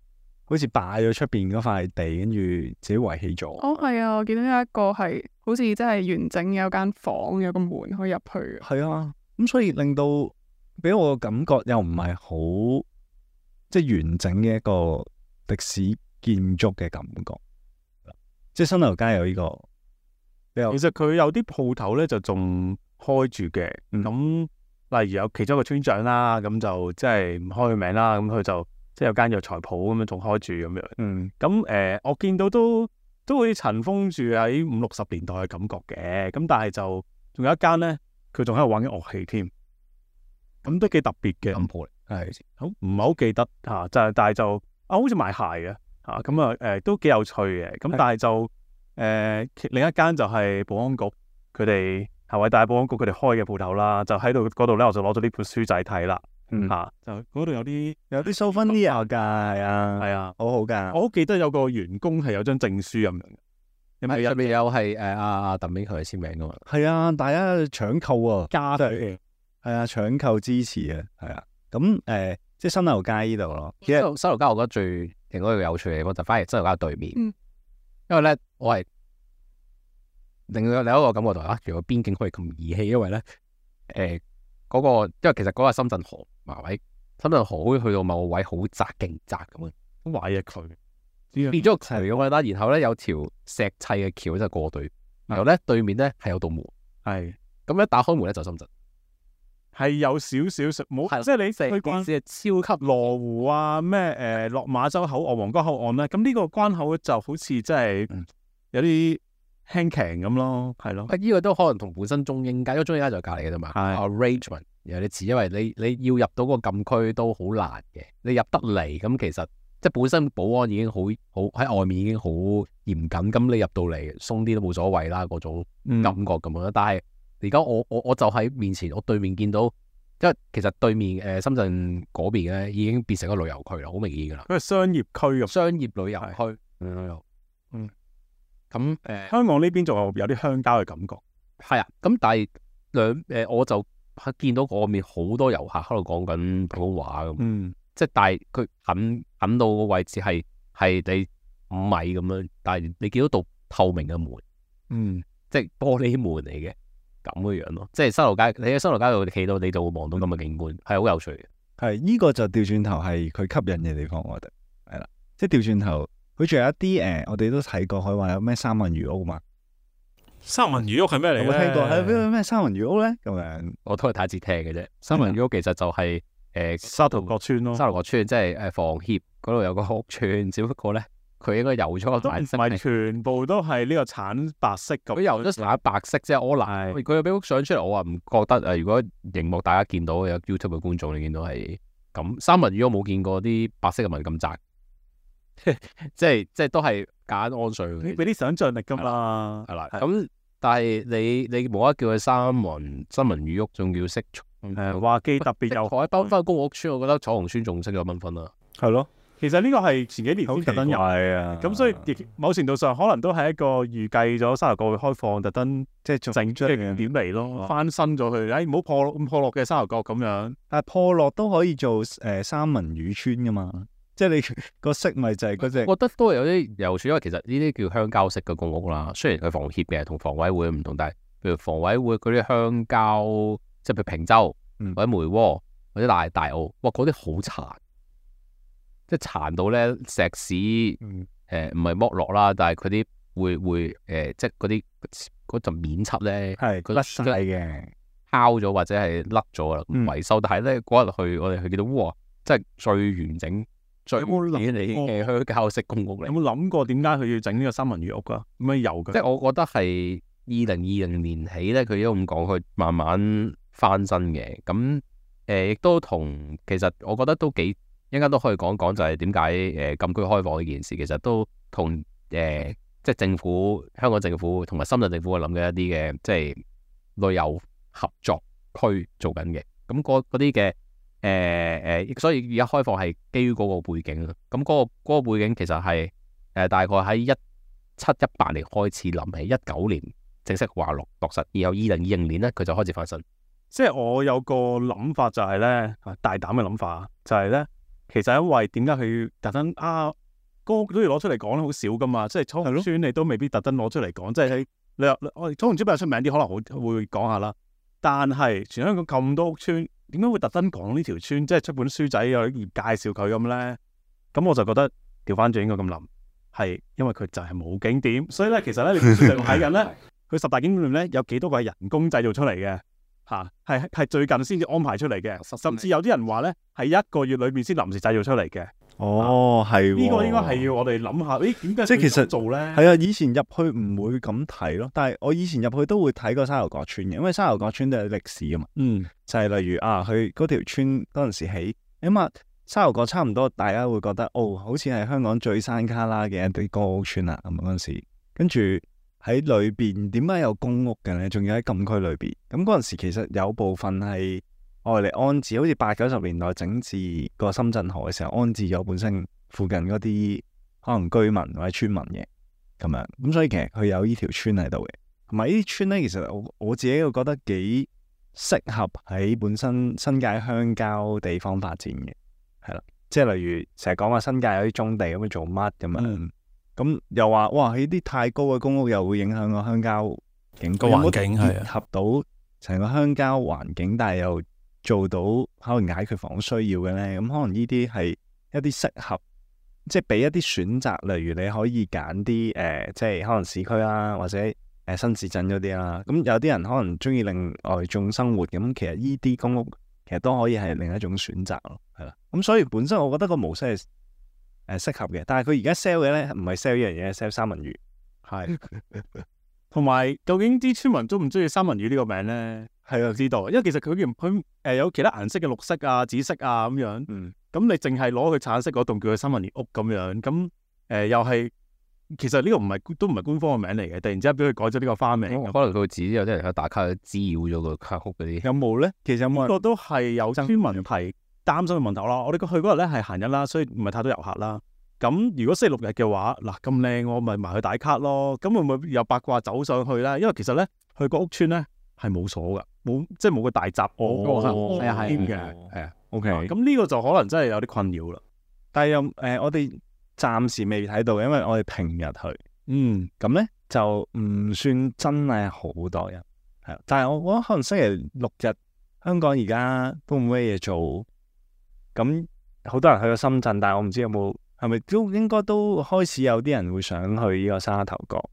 好似霸咗出邊嗰塊地，跟住自己圍起咗。哦，係啊，我見到有一個係好似真係完整有間房，有個門可以入去。係啊，咁所以令到俾我嘅感覺又唔係好即係完整嘅一個歷史建築嘅感覺，即係新樓街有呢、個比較其實佢有啲鋪頭咧就仲開住嘅，咁、嗯例如有其中一個村長啦，咁就即係唔開佢名啦，咁佢就即係有間藥材鋪咁樣仲開住咁樣。嗯咁誒、呃我見到都都好似塵封住喺五六十年代嘅感覺嘅，咁但係就仲有一間咧，佢仲喺度玩緊樂器添，咁都幾特別嘅。金鋪嚟，係好唔係好記得嚇，就係但係就啊，好似賣鞋嘅嚇，咁啊誒都幾有趣嘅。咁係但係就誒、呃其另一間就係保安局佢哋係偉大保安局佢哋開嘅鋪頭啦，就喺度嗰度咧，我就攞咗呢本書仔睇啦嗯嚇，就嗰度有啲有啲 souvenir 㗎，係啊，係啊，好好㗎。我好記得有個員工係有張證書咁樣嘅，有冇上面有係誒阿阿鄧炳強嘅簽名噶嘛？係啊，大家搶購啊，加真係係啊，搶購支持啊，係啊。咁誒、呃即係新樓街呢度咯。其實新樓新樓街我覺得最另外一個有趣嘅地方就反而新樓街對面，嗯因為咧我係另外另一個感覺就係啊，原來邊境可以咁兒戲，因為咧誒嗰個因為其實嗰個係深圳河埋位，深圳河好似去到某個位好窄勁窄咁樣，好壞嘅佢，變咗個渠咁樣啦，然後咧有條石砌嘅橋就過對，然後咧對面咧係有道門，係咁一打開門咧就深圳。係有少少食冇，係啦即係你成去關件事係超級羅湖啊咩誒落馬洲口岸、皇崗口岸咧，咁呢個關口就好似真係嗯有啲輕騎咁咯，係咯，啊！呢個都可能同本身中英街，因為中英街就係隔離嘅啫嘛。係 arrangement 有啲似，因為你你要入到個禁區都好難嘅，你入得嚟咁其實即係本身保安已經好好喺外面已經好嚴謹，咁你入到嚟鬆啲都冇所謂啦嗰種嗯感覺咁樣。但係而家我我我就喺面前，我對面見到，因為其實對面誒、呃、深圳嗰邊咧已經變成一個旅遊區啦，好明顯噶啦，佢係商業區咁。商業旅遊區係嗯嗯咁誒。香港呢邊仲有有啲鄉郊嘅感覺，係啊，咁但係兩誒，我就見到嗰面好多遊客喺度講緊普通話咁，嗯，即係但係佢近近到個位置係係你五米咁樣，但係你見到道透明嘅門，嗯，即係玻璃門嚟嘅咁嘅樣咯，即係新樓街，你喺新樓街度企到你就會望到咁嘅景觀，係好有趣嘅。係呢、個就調轉頭係佢吸引嘅地方，我覺得係啦。即係調轉頭，佢仲有一啲誒、呃我哋都睇過，佢話有咩三文魚屋嘛，三文魚屋係咩嚟有咧？冇聽過？係咩咩三文魚屋咧？咁樣我都係第一次聽嘅啫。三文魚屋其實就係、誒、沙頭角村咯，沙頭角村，即係誒房協嗰度有個屋村，只不過咧佢應該油咗個都唔顏色係全部都係呢個橙白色咁。佢油咗橙白色啫，我嗱佢有俾幅相出嚟，我話唔覺得誒。如果熒幕大家見到有 YouTube 嘅觀眾，你見到係咁三文魚，我冇見過啲白色嘅紋咁窄，即係即係都係簡安水。俾啲想像力㗎嘛，係啦。咁但係你你冇得叫佢三文三文魚屋，仲叫識誒話基特別有海崩翻公屋村，我覺得彩虹村仲識咗繽紛啦。係咯，其實呢個係前幾年先特登入，係啊，咁所以亦某程度上可能都係一個預計咗沙頭角會開放，特登即係做整出嚟點嚟咯，翻新咗佢，誒唔好破咁破落嘅沙頭角咁樣。但係破落都可以做誒、呃、三文魚村噶嘛，即係你個色咪就係嗰隻。我覺得都係有啲有趣，因為其實呢啲叫鄉郊式嘅公屋啦。雖然佢房協嘅同房委會唔同，但係譬如房委會嗰啲鄉郊，即係譬如坪洲、嗯、或者梅窩或者大大澳，哇嗰啲好殘。即係殘到咧石屎，誒唔係剝落啦，但係佢啲會會誒、呃，即係嗰啲嗰陣面漆咧，係佢甩晒嘅，敲咗或者係甩咗啦，維修。但係咧嗰日去我哋去見到，哇！即係最完整、最有冇諗你嘅鄉郊式公屋嚟。有冇諗過點解佢要整呢個三文魚屋噶？咁樣有嘅。即係我覺得係二零二零年起咧，佢都咁講，佢慢慢翻新嘅。咁誒亦都同其實我覺得都幾。應該都可以講講，就係點解誒禁區開放呢件事，其實都同誒、呃、即係政府、香港政府同埋深圳政府諗嘅一啲嘅即係旅遊合作區做緊嘅。咁嗰啲嘅誒誒，所以而家開放係基於嗰個背景啦。咁嗰、嗰個嗰個背景其實係誒、呃、大概喺一七一八年開始諗起，一九年正式話落落實，然後二零二零年咧佢就開始翻新。即係我有個諗法就係咧，大膽嘅諗法就係咧。其實因為點解佢特登啊，嗰個都要攞出嚟講咧，好少噶嘛。即係彩虹村你都未必特登攞出嚟講，即係喺你話我哋彩虹村比較出名啲，可能好會講下啦。但係全香港咁多屋村，點解會特登講呢條村？即係出本書仔有啲介紹佢咁咧？咁我就覺得調翻轉應該咁諗，係因為佢就係冇景點，所以咧其實咧你本書就睇緊咧，佢十大景點咧有幾多個係人工製造出嚟嘅。嚇，係係最近先至安排出嚟嘅，甚至有啲人話咧係一個月裏邊先臨時製造出嚟嘅。哦，係呢、啊這個應該係要我哋諗下，誒點解即係其實做咧？係啊，以前入去唔會咁睇咯，但係我以前入去都會睇過沙頭角村嘅，因為沙頭角村都有歷史啊嘛。嗯，就係例如啊，佢嗰條村嗰陣時起，咁啊沙頭角差唔多，大家會覺得哦，好似係香港最山卡拉嘅一啲公屋村啦，咁嗰陣時，跟住。喺裏邊點解有公屋嘅咧？仲要喺禁區裏邊。咁嗰陣時其實有部分係愛嚟安置，好似八九十年代整治個深圳河嘅時候安置咗本身附近嗰啲可能居民或者村民嘅咁樣。咁所以其實佢有呢條村喺度嘅。同埋呢啲村咧，其實我我自己會覺得幾適合喺本身新界鄉郊地方發展嘅，係啦。即係例如成日講話新界有啲棕地咁樣做乜咁樣。嗯咁又話哇，喺啲太高嘅公屋又會影響個鄉郊景個環境，係結合到成個鄉郊環境，但係又做到可能解決房屋需要嘅咧。咁可能呢啲係一啲適合，即係俾一啲選擇，例如你可以揀啲誒，即係可能市區啦，或者誒、呃、新市鎮嗰啲啦。咁有啲人可能中意另外種生活，咁其實呢啲公屋其實都可以係另一種選擇咯，係啦。咁所以本身我覺得個模式係。誒，適合嘅，但係佢而家 sell 嘅咧，唔係 sell 呢樣嘢，sell 三文魚，係，同埋究竟啲村民中唔中意三文魚呢個名咧？係啊，知道，因為其實佢佢誒有其他顏色嘅綠色啊、紫色啊咁樣，嗯，咁你淨係攞佢橙色嗰棟叫佢三文魚屋咁樣，咁誒、呃、又係，其實呢個唔係都唔係官方嘅名嚟嘅，突然之間俾佢改咗呢個花名，嗯、可能佢自己有啲人喺打卡滋擾咗個卡屋嗰啲，有冇咧？其實有冇呢個都係有村民提。擔心嘅問題啦，我哋去嗰日咧係閒日啦，所以唔係太多遊客啦。咁如果星期六日嘅話，嗱咁靚，我咪埋去打卡咯。咁會唔會有八卦走上去咧？因為其實咧，去個屋村咧係冇鎖噶，冇即係冇個大閘哦，係啊係嘅，係啊。OK，咁呢個就可能真係有啲困擾啦。但係又誒，我哋暫時未睇到，因為我哋平日去，嗯，咁咧就唔算真係好多人，係。但係我覺得可能星期六日香港而家都冇咩嘢做。咁好多人去咗深圳，但係我唔知有冇係咪都應該都開始有啲人會想去呢個沙頭角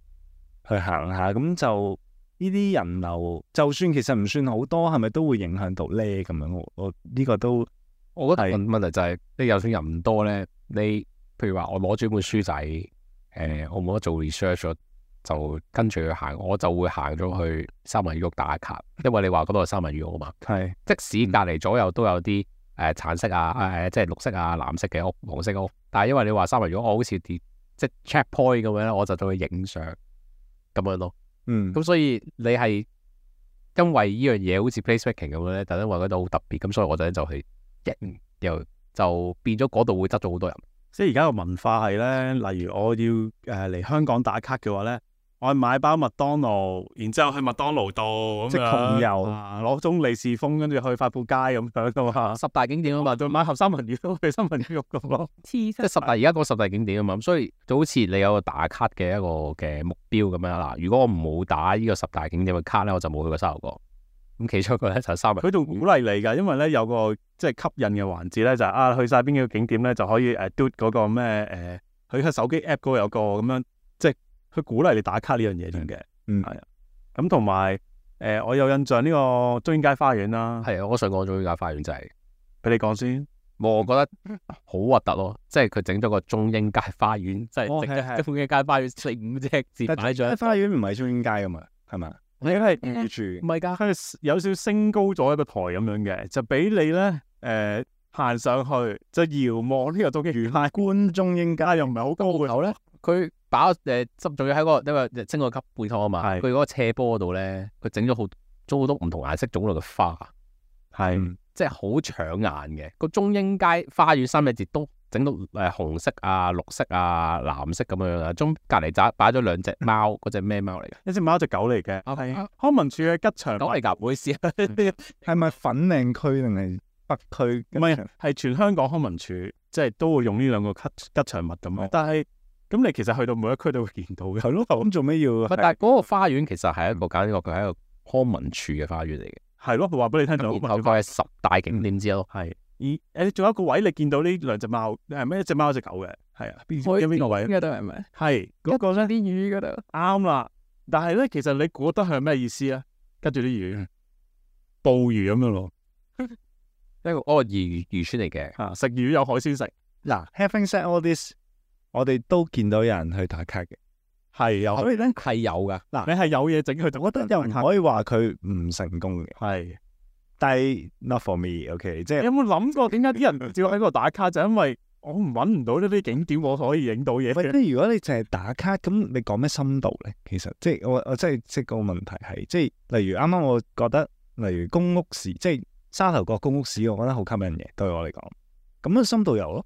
去行下，咁就呢啲人流，就算其實唔算好多，係咪都會影響到咧？咁樣我我呢個都，我覺得問問題就係、是、你就算人唔多咧，你譬如話我攞住本書仔，誒我冇得做 research 咗，就跟住去行，我就會行咗去三文魚屋打卡，因為你話嗰度係三文魚屋啊嘛。係，即使隔離左右都有啲誒、呃、橙色啊，誒、呃、即係綠色啊、藍色嘅屋、黃色嘅屋，但係因為你話三文魚屋，我好似啲即係 check point 咁樣咧，我就到去影相咁樣咯。嗯，咁所以你係因為呢樣嘢好似 placemaking 咁樣咧，特登話嗰度好特別，咁所以我就就去影，又就變咗嗰度會得咗好多人。即係而家個文化係咧，例如我要誒嚟、呃、香港打卡嘅話咧，我係買包麥當勞，然之後去麥當勞度咁即係窮遊啊，攞盅利是封，跟住去發布街咁樣噶嘛。十大景點啊嘛，再買盒三文魚都去三文魚肉咁咯。即係十大而家講十大景點啊嘛，咁所以就好似你有個打卡嘅一個嘅目標咁樣啦。如果我冇打呢個十大景點嘅卡咧，我就冇去過沙頭角。咁其中一個咧就係三文魚。佢仲鼓勵你㗎，因為咧有個即係吸引嘅環節咧，就係、是、啊去晒邊幾個景點咧就可以誒 do 嗰個咩誒，佢、呃、喺手機 app 嗰個有個咁樣，即係佢鼓勵你打卡呢樣嘢添嘅。嗯，係啊。咁同埋誒，我有印象呢個中英街花園啦。係啊，我想講中英街花園就係、是、俾你講先。我覺得好核突咯，即係佢整咗個中英街花園，即係整咗中英街花園四五隻字擺咗。花園唔係中英街㗎嘛，係嘛？你係住唔係㗎，佢有少少升高咗一個台咁樣嘅，就俾你咧誒行上去就遙望呢個中英街。觀中英街又唔係好高嘅。然後咧，佢把誒執仲要喺嗰個因為升個級背湯啊嘛，佢嗰個斜坡嗰度咧，佢整咗好做好多唔同顏色種類嘅花，係、嗯、即係好搶眼嘅。個中英街花園三隻字都整到誒紅色啊、綠色啊、藍色咁樣啊，中隔離就擺咗兩隻貓，嗰隻咩貓嚟嘅？一隻貓一隻狗嚟嘅，係、啊、康文署嘅吉祥狗嚟㗎，唔好意思啊。係咪粉嶺區定係北區？唔係，係全香港康文署，即係都會用呢兩個吉吉祥物咁樣。但係咁你其實去到每一區都會見到嘅。係咯，咁做咩要？但係嗰個花園其實係一個簡直個佢係一個康文署嘅花園嚟嘅。係咯，佢話俾你聽就然後佢係十大景點之一咯。係。而誒仲有一個位，你見到呢兩隻貓，係咩？一隻貓一隻狗嘅，係啊。邊邊個位？嗰度係咪？係嗰個咧，啲魚嗰度。啱啦。但係咧，其實你估得係咩意思啊？跟住啲魚，捕魚咁樣咯。一個嗰個漁漁村嚟嘅。啊，食魚有海鮮食。嗱，having said all this，我哋都見到有人去打卡嘅，係有。所以咧係有噶。嗱，你係有嘢整佢，就我覺得又唔可以話佢唔成功嘅。係。但係 not for me，OK，、okay? 即係你有冇諗過點解啲人照喺嗰度打卡？就因為我唔揾唔到呢啲景點，我可以影到嘢。即係如果你淨係打卡，咁你講咩深度咧？其實即係我我即係即係個問題係，即係例如啱啱我覺得，例如公屋史，即係沙頭角公屋史，我覺得好吸引嘅，對我嚟講。咁啊深度遊咯，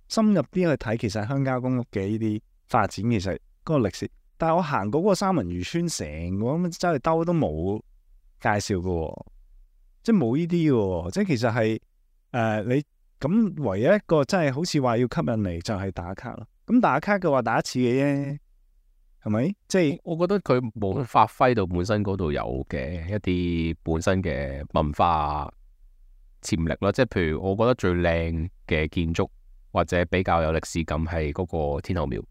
深入啲去睇，其實鄉郊公屋嘅呢啲發展，其實嗰個歷史。但係我行過嗰個三文魚村，成個咁周圍兜都冇介紹嘅喎。即係冇呢啲嘅，即係其實係誒、呃、你咁唯一一個真係好似話要吸引你就係打卡咯。咁打卡嘅話打一次嘅啫，係咪？即係我覺得佢冇發揮到本身嗰度有嘅一啲本身嘅文化潛力咯。即係譬如我覺得最靚嘅建築或者比較有歷史感係嗰個天后廟。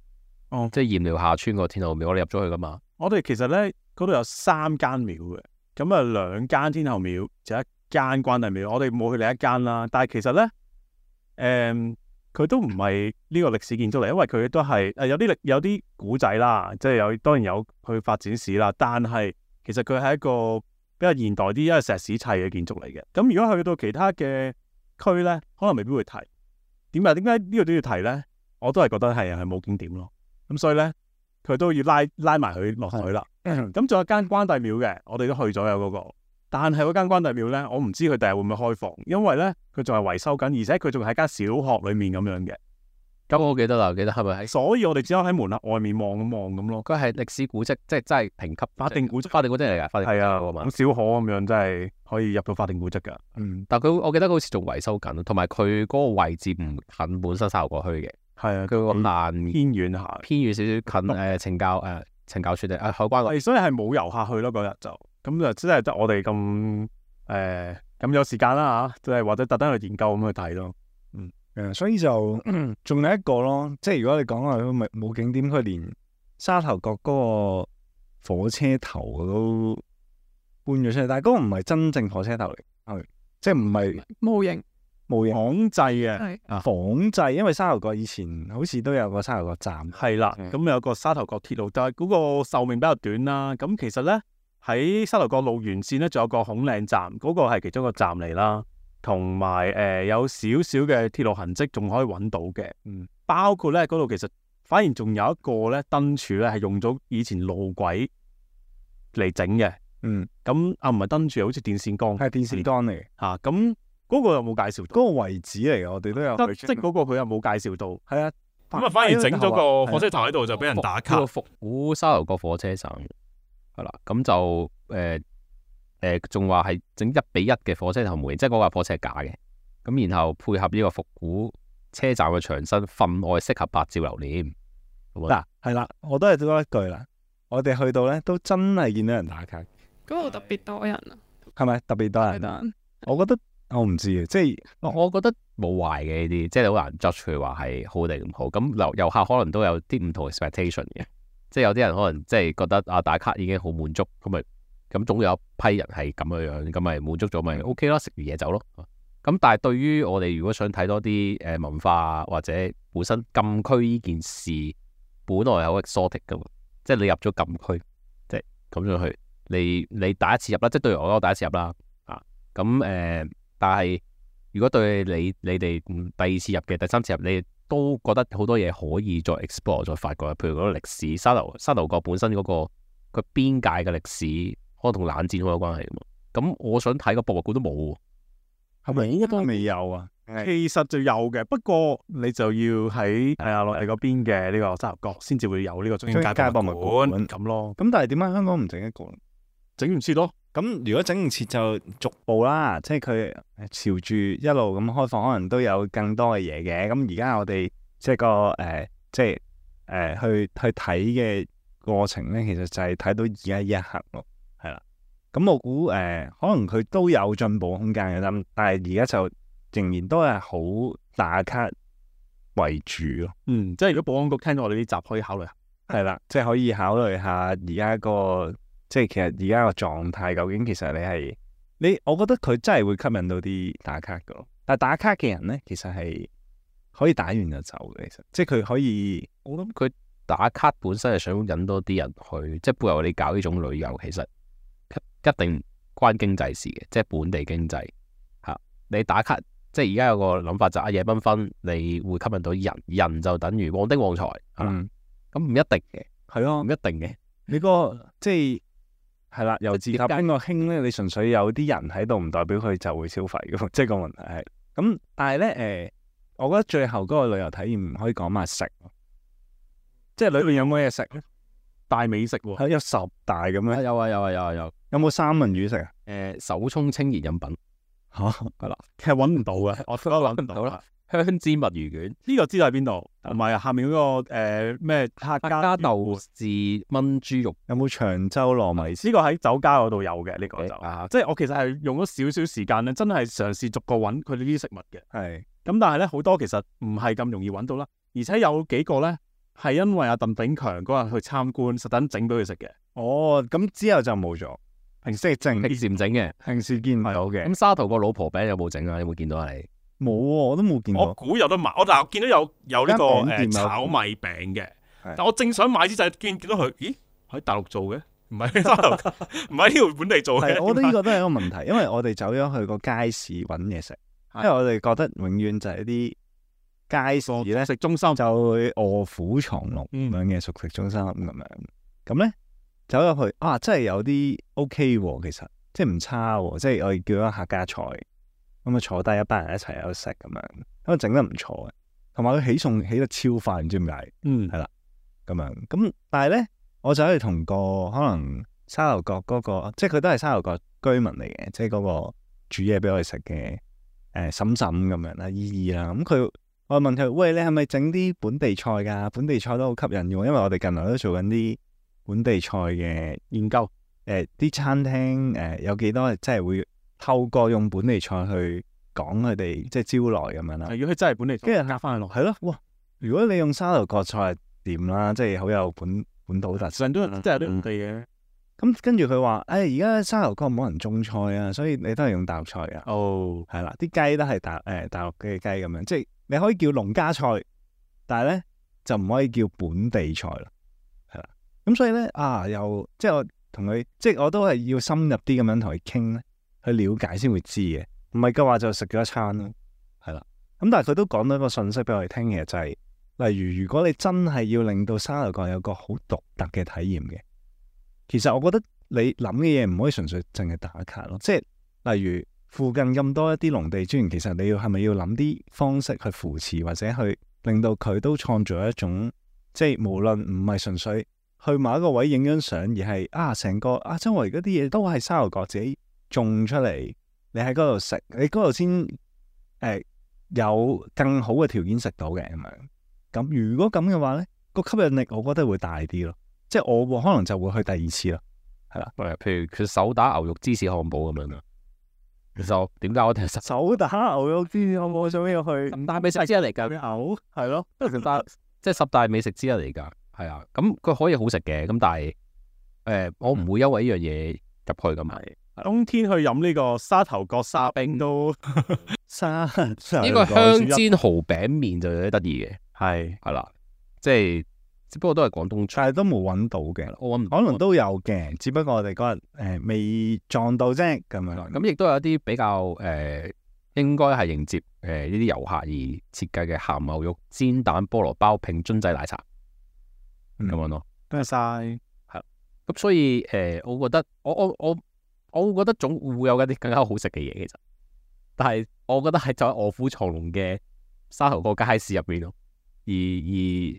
哦，即係鹽寮下村個天后廟，我哋入咗去噶嘛。我哋其實咧嗰度有三間廟嘅。咁啊，兩間天后廟，就一間關帝廟。我哋冇去另一間啦。但係其實咧，誒、嗯，佢都唔係呢個歷史建築嚟，因為佢都係誒有啲歷有啲古仔啦，即係有當然有佢發展史啦。但係其實佢係一個比較現代啲，因為石屎砌嘅建築嚟嘅。咁如果去到其他嘅區咧，可能未必會提。點解？點解呢個都要提咧？我都係覺得係係冇景點咯。咁所以咧，佢都要拉拉埋佢落水啦。咁仲有間關帝廟嘅，我哋都去咗有嗰個，但係嗰間關帝廟咧，我唔知佢第日會唔會開放，因為咧佢仲係維修緊，而且佢仲係喺間小學裏面咁樣嘅。咁我記得啦，記得係咪喺？所以我哋只可以喺門口外面望咁望咁咯。佢係歷史古蹟，即係真係評級法定古蹟，法定古蹟嚟㗎，法定係啊，咁小可咁樣真係可以入到法定古蹟㗎。嗯，但係佢我記得佢好似仲維修緊，同埋佢嗰個位置唔近本身沙頭角區嘅。係啊，佢個爛偏遠下，偏遠少少近誒懲教誒懲教處定誒海關嗰。所以係冇遊客去咯嗰日就，咁就真係得我哋咁誒咁有時間啦嚇，即係或者特登去研究咁去睇咯。嗯，誒，所以就仲有一個咯，即係如果你講話佢咪冇景點，佢連沙頭角嗰個火車頭都搬咗出嚟，但係嗰個唔係真正火車頭嚟，係即係唔係模型。冇嘢仿製嘅。係仿製，因為沙頭角以前好似都有個沙頭角站。係啦，嗯咁有個沙頭角鐵路，但係嗰個壽命比較短啦。咁其實咧喺沙頭角路沿線咧，仲有個孔嶺站，嗰、個係其中一個站嚟啦。同埋誒有少少嘅鐵路痕跡，仲可以揾到嘅。嗯，包括咧嗰度其實反而仲有一個咧燈柱咧係用咗以前路軌嚟整嘅。嗯，咁啊唔係燈柱，好似電線桿係電線桿嚟嘅，嚇。咁嗰個有冇介紹到？嗰個位置嚟嘅，我哋都有去得即係嗰個佢有冇介紹到？係啊，咁啊，反而整咗個火車頭喺度就俾人打卡呢個。復古沙頭角火車站係啦，咁就誒誒仲話係整一比一嘅火車頭模型，即係嗰架火車係假嘅。咁然後配合呢個復古車站嘅牆身，分外適合拍照留念。嗱係啦，我都係多一句啦。我哋去到咧都真係見到人打卡，嗰度特別多人啊，係咪特別多人？係得我覺得我唔知嘅，即係我我覺得冇壞嘅呢啲，即係你好難 judge 佢話係好定唔好。咁遊遊客可能都有啲唔同 expectation 嘅，即係有啲人可能即係覺得啊打卡已經好滿足，咁咪咁總有一批人係咁樣樣，咁咪滿足咗咪 OK 咯，食完嘢走咯。咁但係對於我哋如果想睇多啲誒文化或者本身禁區呢件事，本來係好 exotic 噶嘛，即係你入咗禁區，即係咁樣去，你你第一次入啦，即係對我我第一次入啦啊，咁誒、呃，但係如果對你你哋第二次入嘅第三次入，你都覺得好多嘢可以再 explore 再發掘，譬如嗰個歷史，沙頭沙頭角本身嗰、嗰個佢邊界嘅歷史，可能同冷戰好有關係噶嘛。咁我想睇個博物館都冇喎。係咪應該未有啊？其實就有嘅，不過你就要喺係啊內地嗰邊嘅呢個沙頭角先至會有呢個中英街博物館咁咯。咁但係點解香港唔整一個？整唔切咯。咁如果整唔切就逐步啦，即係佢朝住一路咁開放，可能都有更多嘅嘢嘅。咁而家我哋即係個誒、呃，即係誒、呃、去去睇嘅過程咧，其實就係睇到而家呢一刻咯，係啦。咁我估誒、呃，可能佢都有進步空間嘅，但但係而家就仍然都係好打卡為主咯。嗯，即係如果保安局聽到我哋呢集，可以考慮下。係啦，即係可以考慮下而家個，即係其實而家個狀態究竟其實你係你，我覺得佢真係會吸引到啲打卡噶咯。但係打卡嘅人咧，其實係可以打完就走嘅，其實即係佢可以。我諗佢打卡本身係想引多啲人去，即係背後你搞呢種旅遊，其實一定關經濟事嘅，即係本地經濟嚇。你打卡，即係而家有個諗法就係夜繽紛，你會吸引到人，人就等於旺丁旺財，嗯，咁唔一定嘅，係咯唔，一定嘅。你個即係係啦，由自及邊個興咧？你純粹有啲人喺度，唔代表佢就會消費嘅，即係個問題係咁。但係咧誒，我覺得最後嗰個旅遊體驗唔可以講埋食，即係裏邊有冇嘢食咧？大美食喎。係有十大咁樣，有啊有啊有啊有。有冇三文魚食啊？誒手沖清熱飲品嚇係啦，其實揾唔到嘅，我覺得揾唔到好啦。香煎墨魚卷、呢個知道喺邊度？同埋下面嗰、嗰個誒咩客客家家豆豉炆豬肉。有冇長洲糯米糍？呢個喺酒家嗰度有嘅，呢、呢個就啊即係我其實係用咗少少時間咧，真係嘗試逐個揾佢哋呢啲食物嘅。係咁但係咧好多其實唔係咁容易揾到啦，而且有幾個咧係因為阿鄧炳強嗰日去參觀，實等整俾佢食嘅。哦，咁之後就冇咗。平時整，平時唔整嘅。平時見唔到嘅。咁沙頭個老婆餅有冇整啊？有冇見到啊？你冇喎，我都冇見我過。估有得買，我但係我見到有有呢個間餅店有誒炒米餅嘅，係但我正想買之際見見到佢，咦喺大陸做嘅，唔係沙頭角，唔喺呢度本地做嘅。係，我覺得呢個都係一個問題，因為我哋走咗去個街市揾嘢食，因為我哋覺得永遠就係一啲街市咧食中心就會臥虎藏龍咁樣嘅熟食中心咁樣。咁咧走入去啊，真係有啲 OK 喎，其實即係唔差喎，即係我哋叫咗客家菜，咁啊坐低一班人一齊喺度食咁樣，咁啊整得唔錯嘅，同埋佢起餸起得超快，唔知點解。嗯係啦，咁樣咁，但係咧，我就可以同個可能沙頭角嗰、個，即係佢都係沙頭角居民嚟嘅，即係嗰個煮嘢俾我哋食嘅誒嬸嬸咁樣啦，姨姨啦，咁佢我問佢，喂，你係咪整啲本地菜㗎？本地菜都好吸引嘅喎，因為我哋近來都做緊啲本地菜嘅研究，誒、啲餐廳誒、有幾多即係會透過用本地菜去講佢哋即係招來咁樣啦。如果佢真係本地，跟住呃翻佢落，係咯，哇！如果你用沙頭角菜係點啦，即係好有本本土特色。成都即係有啲地嘅。咁跟住佢話，誒而家沙頭角冇人種菜啊，所以你都係用大陸菜啊。哦，係啦，啲雞都係大誒、呃、大陸嘅雞咁樣，即係你可以叫農家菜，但係咧就唔可以叫本地菜咯。係啦，咁所以咧啊，又即係我同佢，即係我都係要深入啲咁樣同佢傾咧，去了解先會知嘅。唔係嘅話就食咗一餐咯。係啦，咁但係佢都講到一個信息俾我哋聽嘅，就係、是、例如如果你真係要令到沙頭角有個好獨特嘅體驗嘅。其實我覺得你諗嘅嘢唔可以純粹淨係打卡咯，即係例如附近咁多一啲農地資源，其實你要係咪要諗啲方式去扶持或者去令到佢都創造一種，即係無論唔係純粹去某一個位影張相，而係啊成個啊周圍嗰啲嘢都係沙頭角自己種出嚟，你喺嗰度食，你嗰度先誒有更好嘅條件食到嘅咁樣。咁如果咁嘅話咧，個吸引力我覺得會大啲咯。即係我可能就會去第二次咯，係啦。譬如佢手打牛肉芝士漢堡咁樣啊。其實點解我哋實手打牛肉芝士漢堡想要去十大美食之一嚟㗎？牛係咯，十大即係十大美食之一嚟㗎，係啊。咁佢可以好食嘅，咁但係誒、呃，我唔會因為呢樣嘢入去咁係。冬天去飲呢個沙頭角沙冰都沙呢個香煎蠔餅麵就有啲得意嘅，係係啦，即係。只不過都係廣東菜，但係都冇揾到嘅，我揾可能都有嘅，只不過我哋嗰日誒未撞到啫咁樣。咁亦都有一啲比較誒、呃，應該係迎接誒呢啲遊客而設計嘅鹹牛肉煎蛋菠蘿包拼樽仔奶茶咁樣咯。多謝晒，係咁所以誒、呃，我覺得我我我我會覺得總會有一啲更加好食嘅嘢，其實，但係我覺得係就喺臥虎藏龍嘅沙頭角街市入邊咯。而而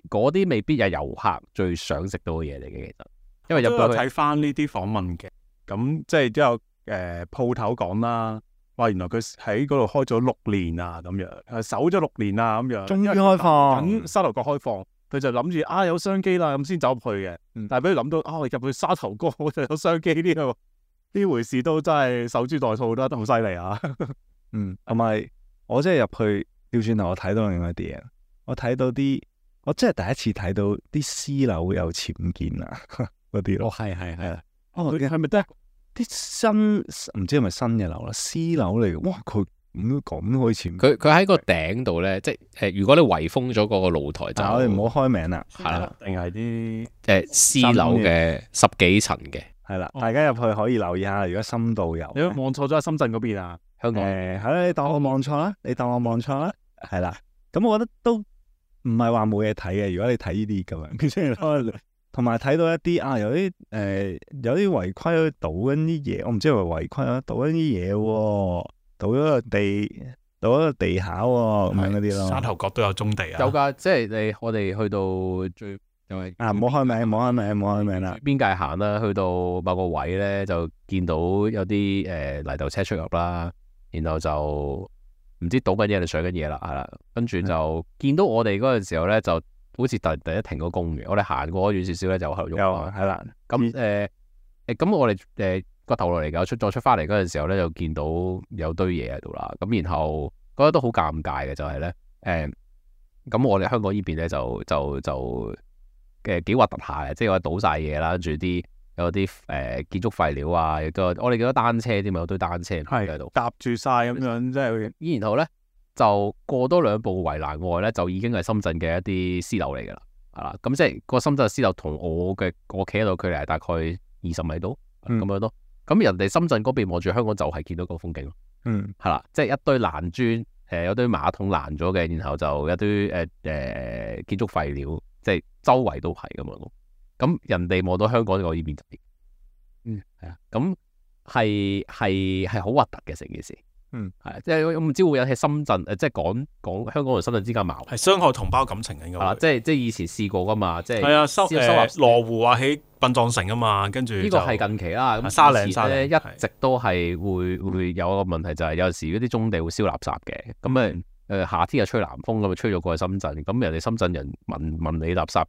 嗰啲未必係遊客最想食到嘅嘢嚟嘅，其實，因為入到去睇翻呢啲訪問嘅，咁即係都有誒鋪頭講啦，話原來佢喺嗰度開咗六年啊，咁樣誒守咗六年啊，咁樣，終於開放，等沙頭角開放，佢就諗住啊有商機啦，咁先走入去嘅，嗯、但係俾佢諗到啊入去沙頭角就有商機呢個呢回事都真係守株待兔，都得好犀利啊！嗯，同埋我真係入去調轉頭，我睇到另外一啲嘢。我睇到啲，我真係第一次睇到啲私樓有僭建啊嗰啲咯。哦，係係係。哦，佢係咪得啲新唔知係咪新嘅樓啦？私樓嚟嘅，哇！佢咁咁都可以僭建。佢佢喺個頂度咧，即係誒、呃，如果你圍封咗嗰個露台就，我哋唔好開名啦，係啦，定係啲誒私樓嘅十幾層嘅，係啦，大家入去可以留意下，如果深度遊，你望錯咗喺深圳嗰邊啊？香港誒係啦，你當我望錯啦，你當我望錯啦，係啦。咁我覺得都唔係話冇嘢睇嘅，如果你睇呢啲咁樣，同埋睇到一啲啊，有啲誒、呃、有啲違規去倒緊啲嘢，我唔知係咪違規啊，倒緊啲嘢喎，倒咗個地，倒咗個地下喎，咁樣嗰啲咯。沙頭角都有棕地啊，有㗎，即係你我哋去到最因為啊，唔好開名，唔好開名，唔好開名啦。邊界行啦，去到某個位咧，就見到有啲誒、呃、泥頭車出入啦，然後就。唔知倒緊嘢定上緊嘢啦，係啦，跟住就見到我哋嗰陣時候咧，就好似突突然停咗工嘅。我哋行過遠少少咧，就喺度喐。有係啦，咁誒誒，咁我哋誒個頭落嚟㗎，出再出翻嚟嗰陣時候咧，就見到有堆嘢喺度啦。咁然後覺得都好尷尬嘅，就係咧誒，咁我哋香港呢邊咧就就就嘅幾核突下嘅，即係我倒晒嘢啦，跟住啲。有啲誒、呃、建築廢料啊，亦都我哋見到單車添，有堆單車喺度搭住晒咁樣，即係。然後咧就過多兩步圍欄外咧，就已經係深圳嘅一啲私樓嚟㗎啦，係啦。咁即係個深圳私樓同我嘅我企喺度距離係大概二十米度咁、嗯、樣咯。咁人哋深圳嗰邊望住香港就係見到個風景咯。嗯，係啦，即係一堆爛磚，誒、呃、有堆馬桶爛咗嘅，然後就一堆誒誒、呃、建築廢料，即係周圍都係咁樣咯。咁人哋望到香港我呢邊就，嗯係啊，咁係係係好核突嘅成件事，嗯係啊，即係我唔知會引起深圳誒，即係講講香港同深圳之間矛盾，係傷害同胞感情嘅應該，係啦，即係即係以前試過噶嘛，即係係啊收收納誒羅湖話起殯葬城啊嘛，跟住呢個係近期啦，咁沙嶺沙咧嶺一直都係會會有一個問題，就係有時嗰啲棕地會燒垃圾嘅，咁誒誒夏天又吹南風咁啊，吹咗過去深圳，咁人哋深圳人聞聞你垃圾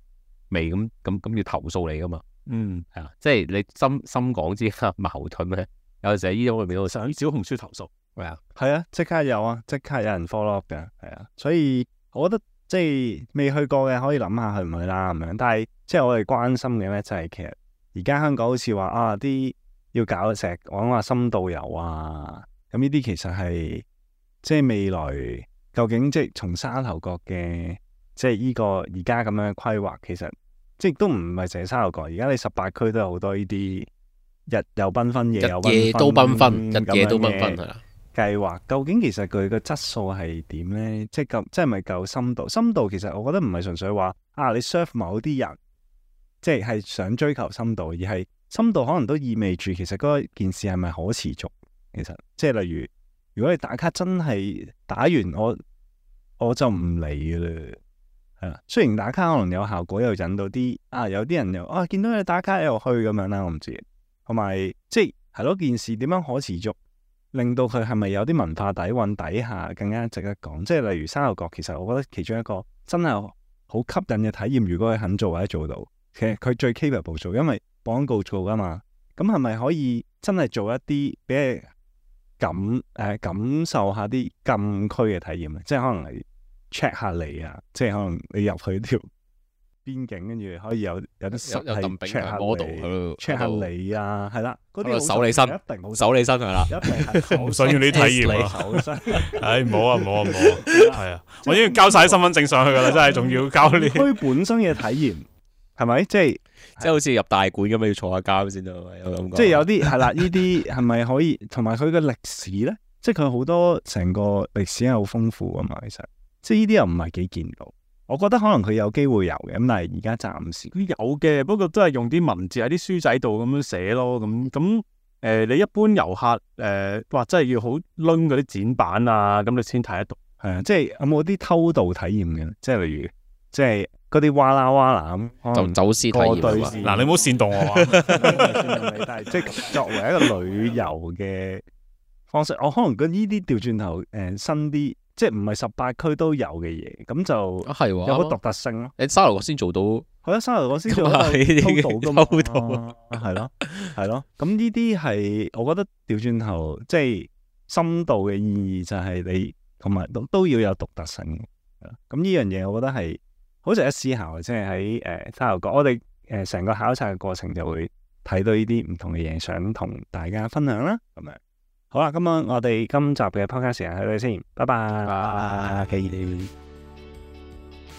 未咁咁咁要投訴你噶嘛？嗯，係啊，即係你深深港之間矛盾咧，有陣時喺呢種裏面都上小紅書投訴，係啊，係啊，即刻有啊，即刻有人 follow up 嘅，係啊，所以我覺得即係未去過嘅可以諗下去唔去啦咁樣。但係即係我哋關心嘅咧，就係其實而家香港好似話啊啲要搞成日講話深度遊啊，咁呢啲其實係即係未來究竟即係從沙頭角嘅即係呢個而家咁樣嘅規劃，其實即係都唔係淨係沙頭角，而家你十八區都有好多呢啲日又繽紛，夜又繽紛，日夜都繽紛，日夜都繽紛係啦。計劃究竟其實佢個質素係點呢？即係夠，即係咪夠深度？深度其實我覺得唔係純粹話啊，你 serve 某啲人，即係係想追求深度，而係深度可能都意味住其實嗰件事係咪可持續？其實即係例如，如果你打卡真係打完我我就唔嚟嘅啦，係啦。雖然打卡可能有效果，又引到啲啊，有啲人又啊見到你打卡又去咁樣啦，我唔知。同埋即係係咯，件事點樣可持續？令到佢係咪有啲文化底蘊底下更加值得講？即係例如沙頭角，其實我覺得其中一個真係好吸引嘅體驗。如果佢肯做或者做到，其實佢最 capable 做，因為廣告做噶嘛。咁係咪可以真係做一啲俾你感誒、呃、感受下啲禁區嘅體驗咧？即係可能你 check 下你啊，即係可能你入去條邊境，跟住可以有有啲實係 check 下 model 你 check 下你啊，係啦，嗰啲手你身，一定好手你身係啦，一定係唔想要你體驗啊！手身，唉，唔好啊，唔好啊，唔好啊，係啊，我已經交晒啲身份證上去噶啦，真係仲要交呢？區本身嘅體驗係咪？即係即係好似入大館咁樣要坐下監先得，有感覺。即係有啲係啦，呢啲係咪可以？同埋佢嘅歷史咧，即係佢好多成個歷史係好豐富噶嘛。其實即係呢啲又唔係幾見到。我覺得可能佢有機會有嘅，咁但係而家暫時佢有嘅，不過都係用啲文字喺啲書仔度咁樣寫咯。咁咁誒，你一般遊客誒、呃，哇，真係要好掄嗰啲展板啊，咁你先睇得到。係啊，即係有冇啲偷渡體驗嘅？即係例如，即係嗰啲哇啦哇啦咁，就走私體驗啊嘛。嗱，你唔好煽動我啊！但係即係作為一個旅遊嘅方式，我可能覺得呢啲調轉頭誒新啲。即係唔係十八區都有嘅嘢，咁就係有好獨特性咯。你沙頭角先做到，係啊，沙頭角先做到偷渡噶嘛，係咯，係咯。咁呢啲係我覺得調轉頭，即係深度嘅意義就係你同埋都都要有獨特性。咁呢樣嘢我覺得係好值得思考嘅，即係喺誒沙頭角，我哋誒成個考察嘅過程就會睇到呢啲唔同嘅嘢，想同大家分享啦，咁樣。好啦，咁啊，我哋今集嘅 podcast 時間喺度先，拜拜。拜。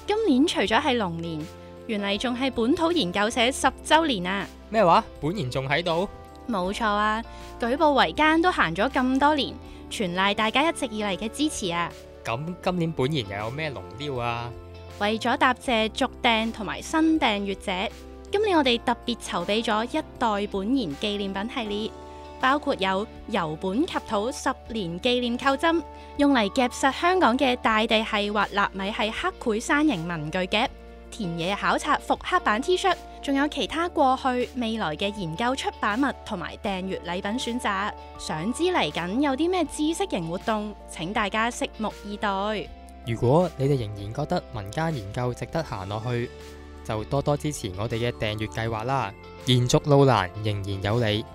今年除咗係龍年，原嚟仲係本土研究社十週年啊！咩話？本研仲喺度？冇錯啊！舉步維艱都行咗咁多年，全賴大家一直以嚟嘅支持啊！咁今年本研又有咩龍雕啊？為咗答謝續訂同埋新訂閱者，今年我哋特別籌備咗一代本研紀念品系列。包括有由本及土十年紀念扣針，用嚟夾實香港嘅大地系或納米系刻繪山形文具夾，田野考察復刻版 T 恤，仲有其他過去未來嘅研究出版物同埋訂閱禮品選擇。想知嚟緊有啲咩知識型活動，請大家拭目以待。如果你哋仍然覺得民間研究值得行落去，就多多支持我哋嘅訂閱計劃啦。延續路難，仍然有你。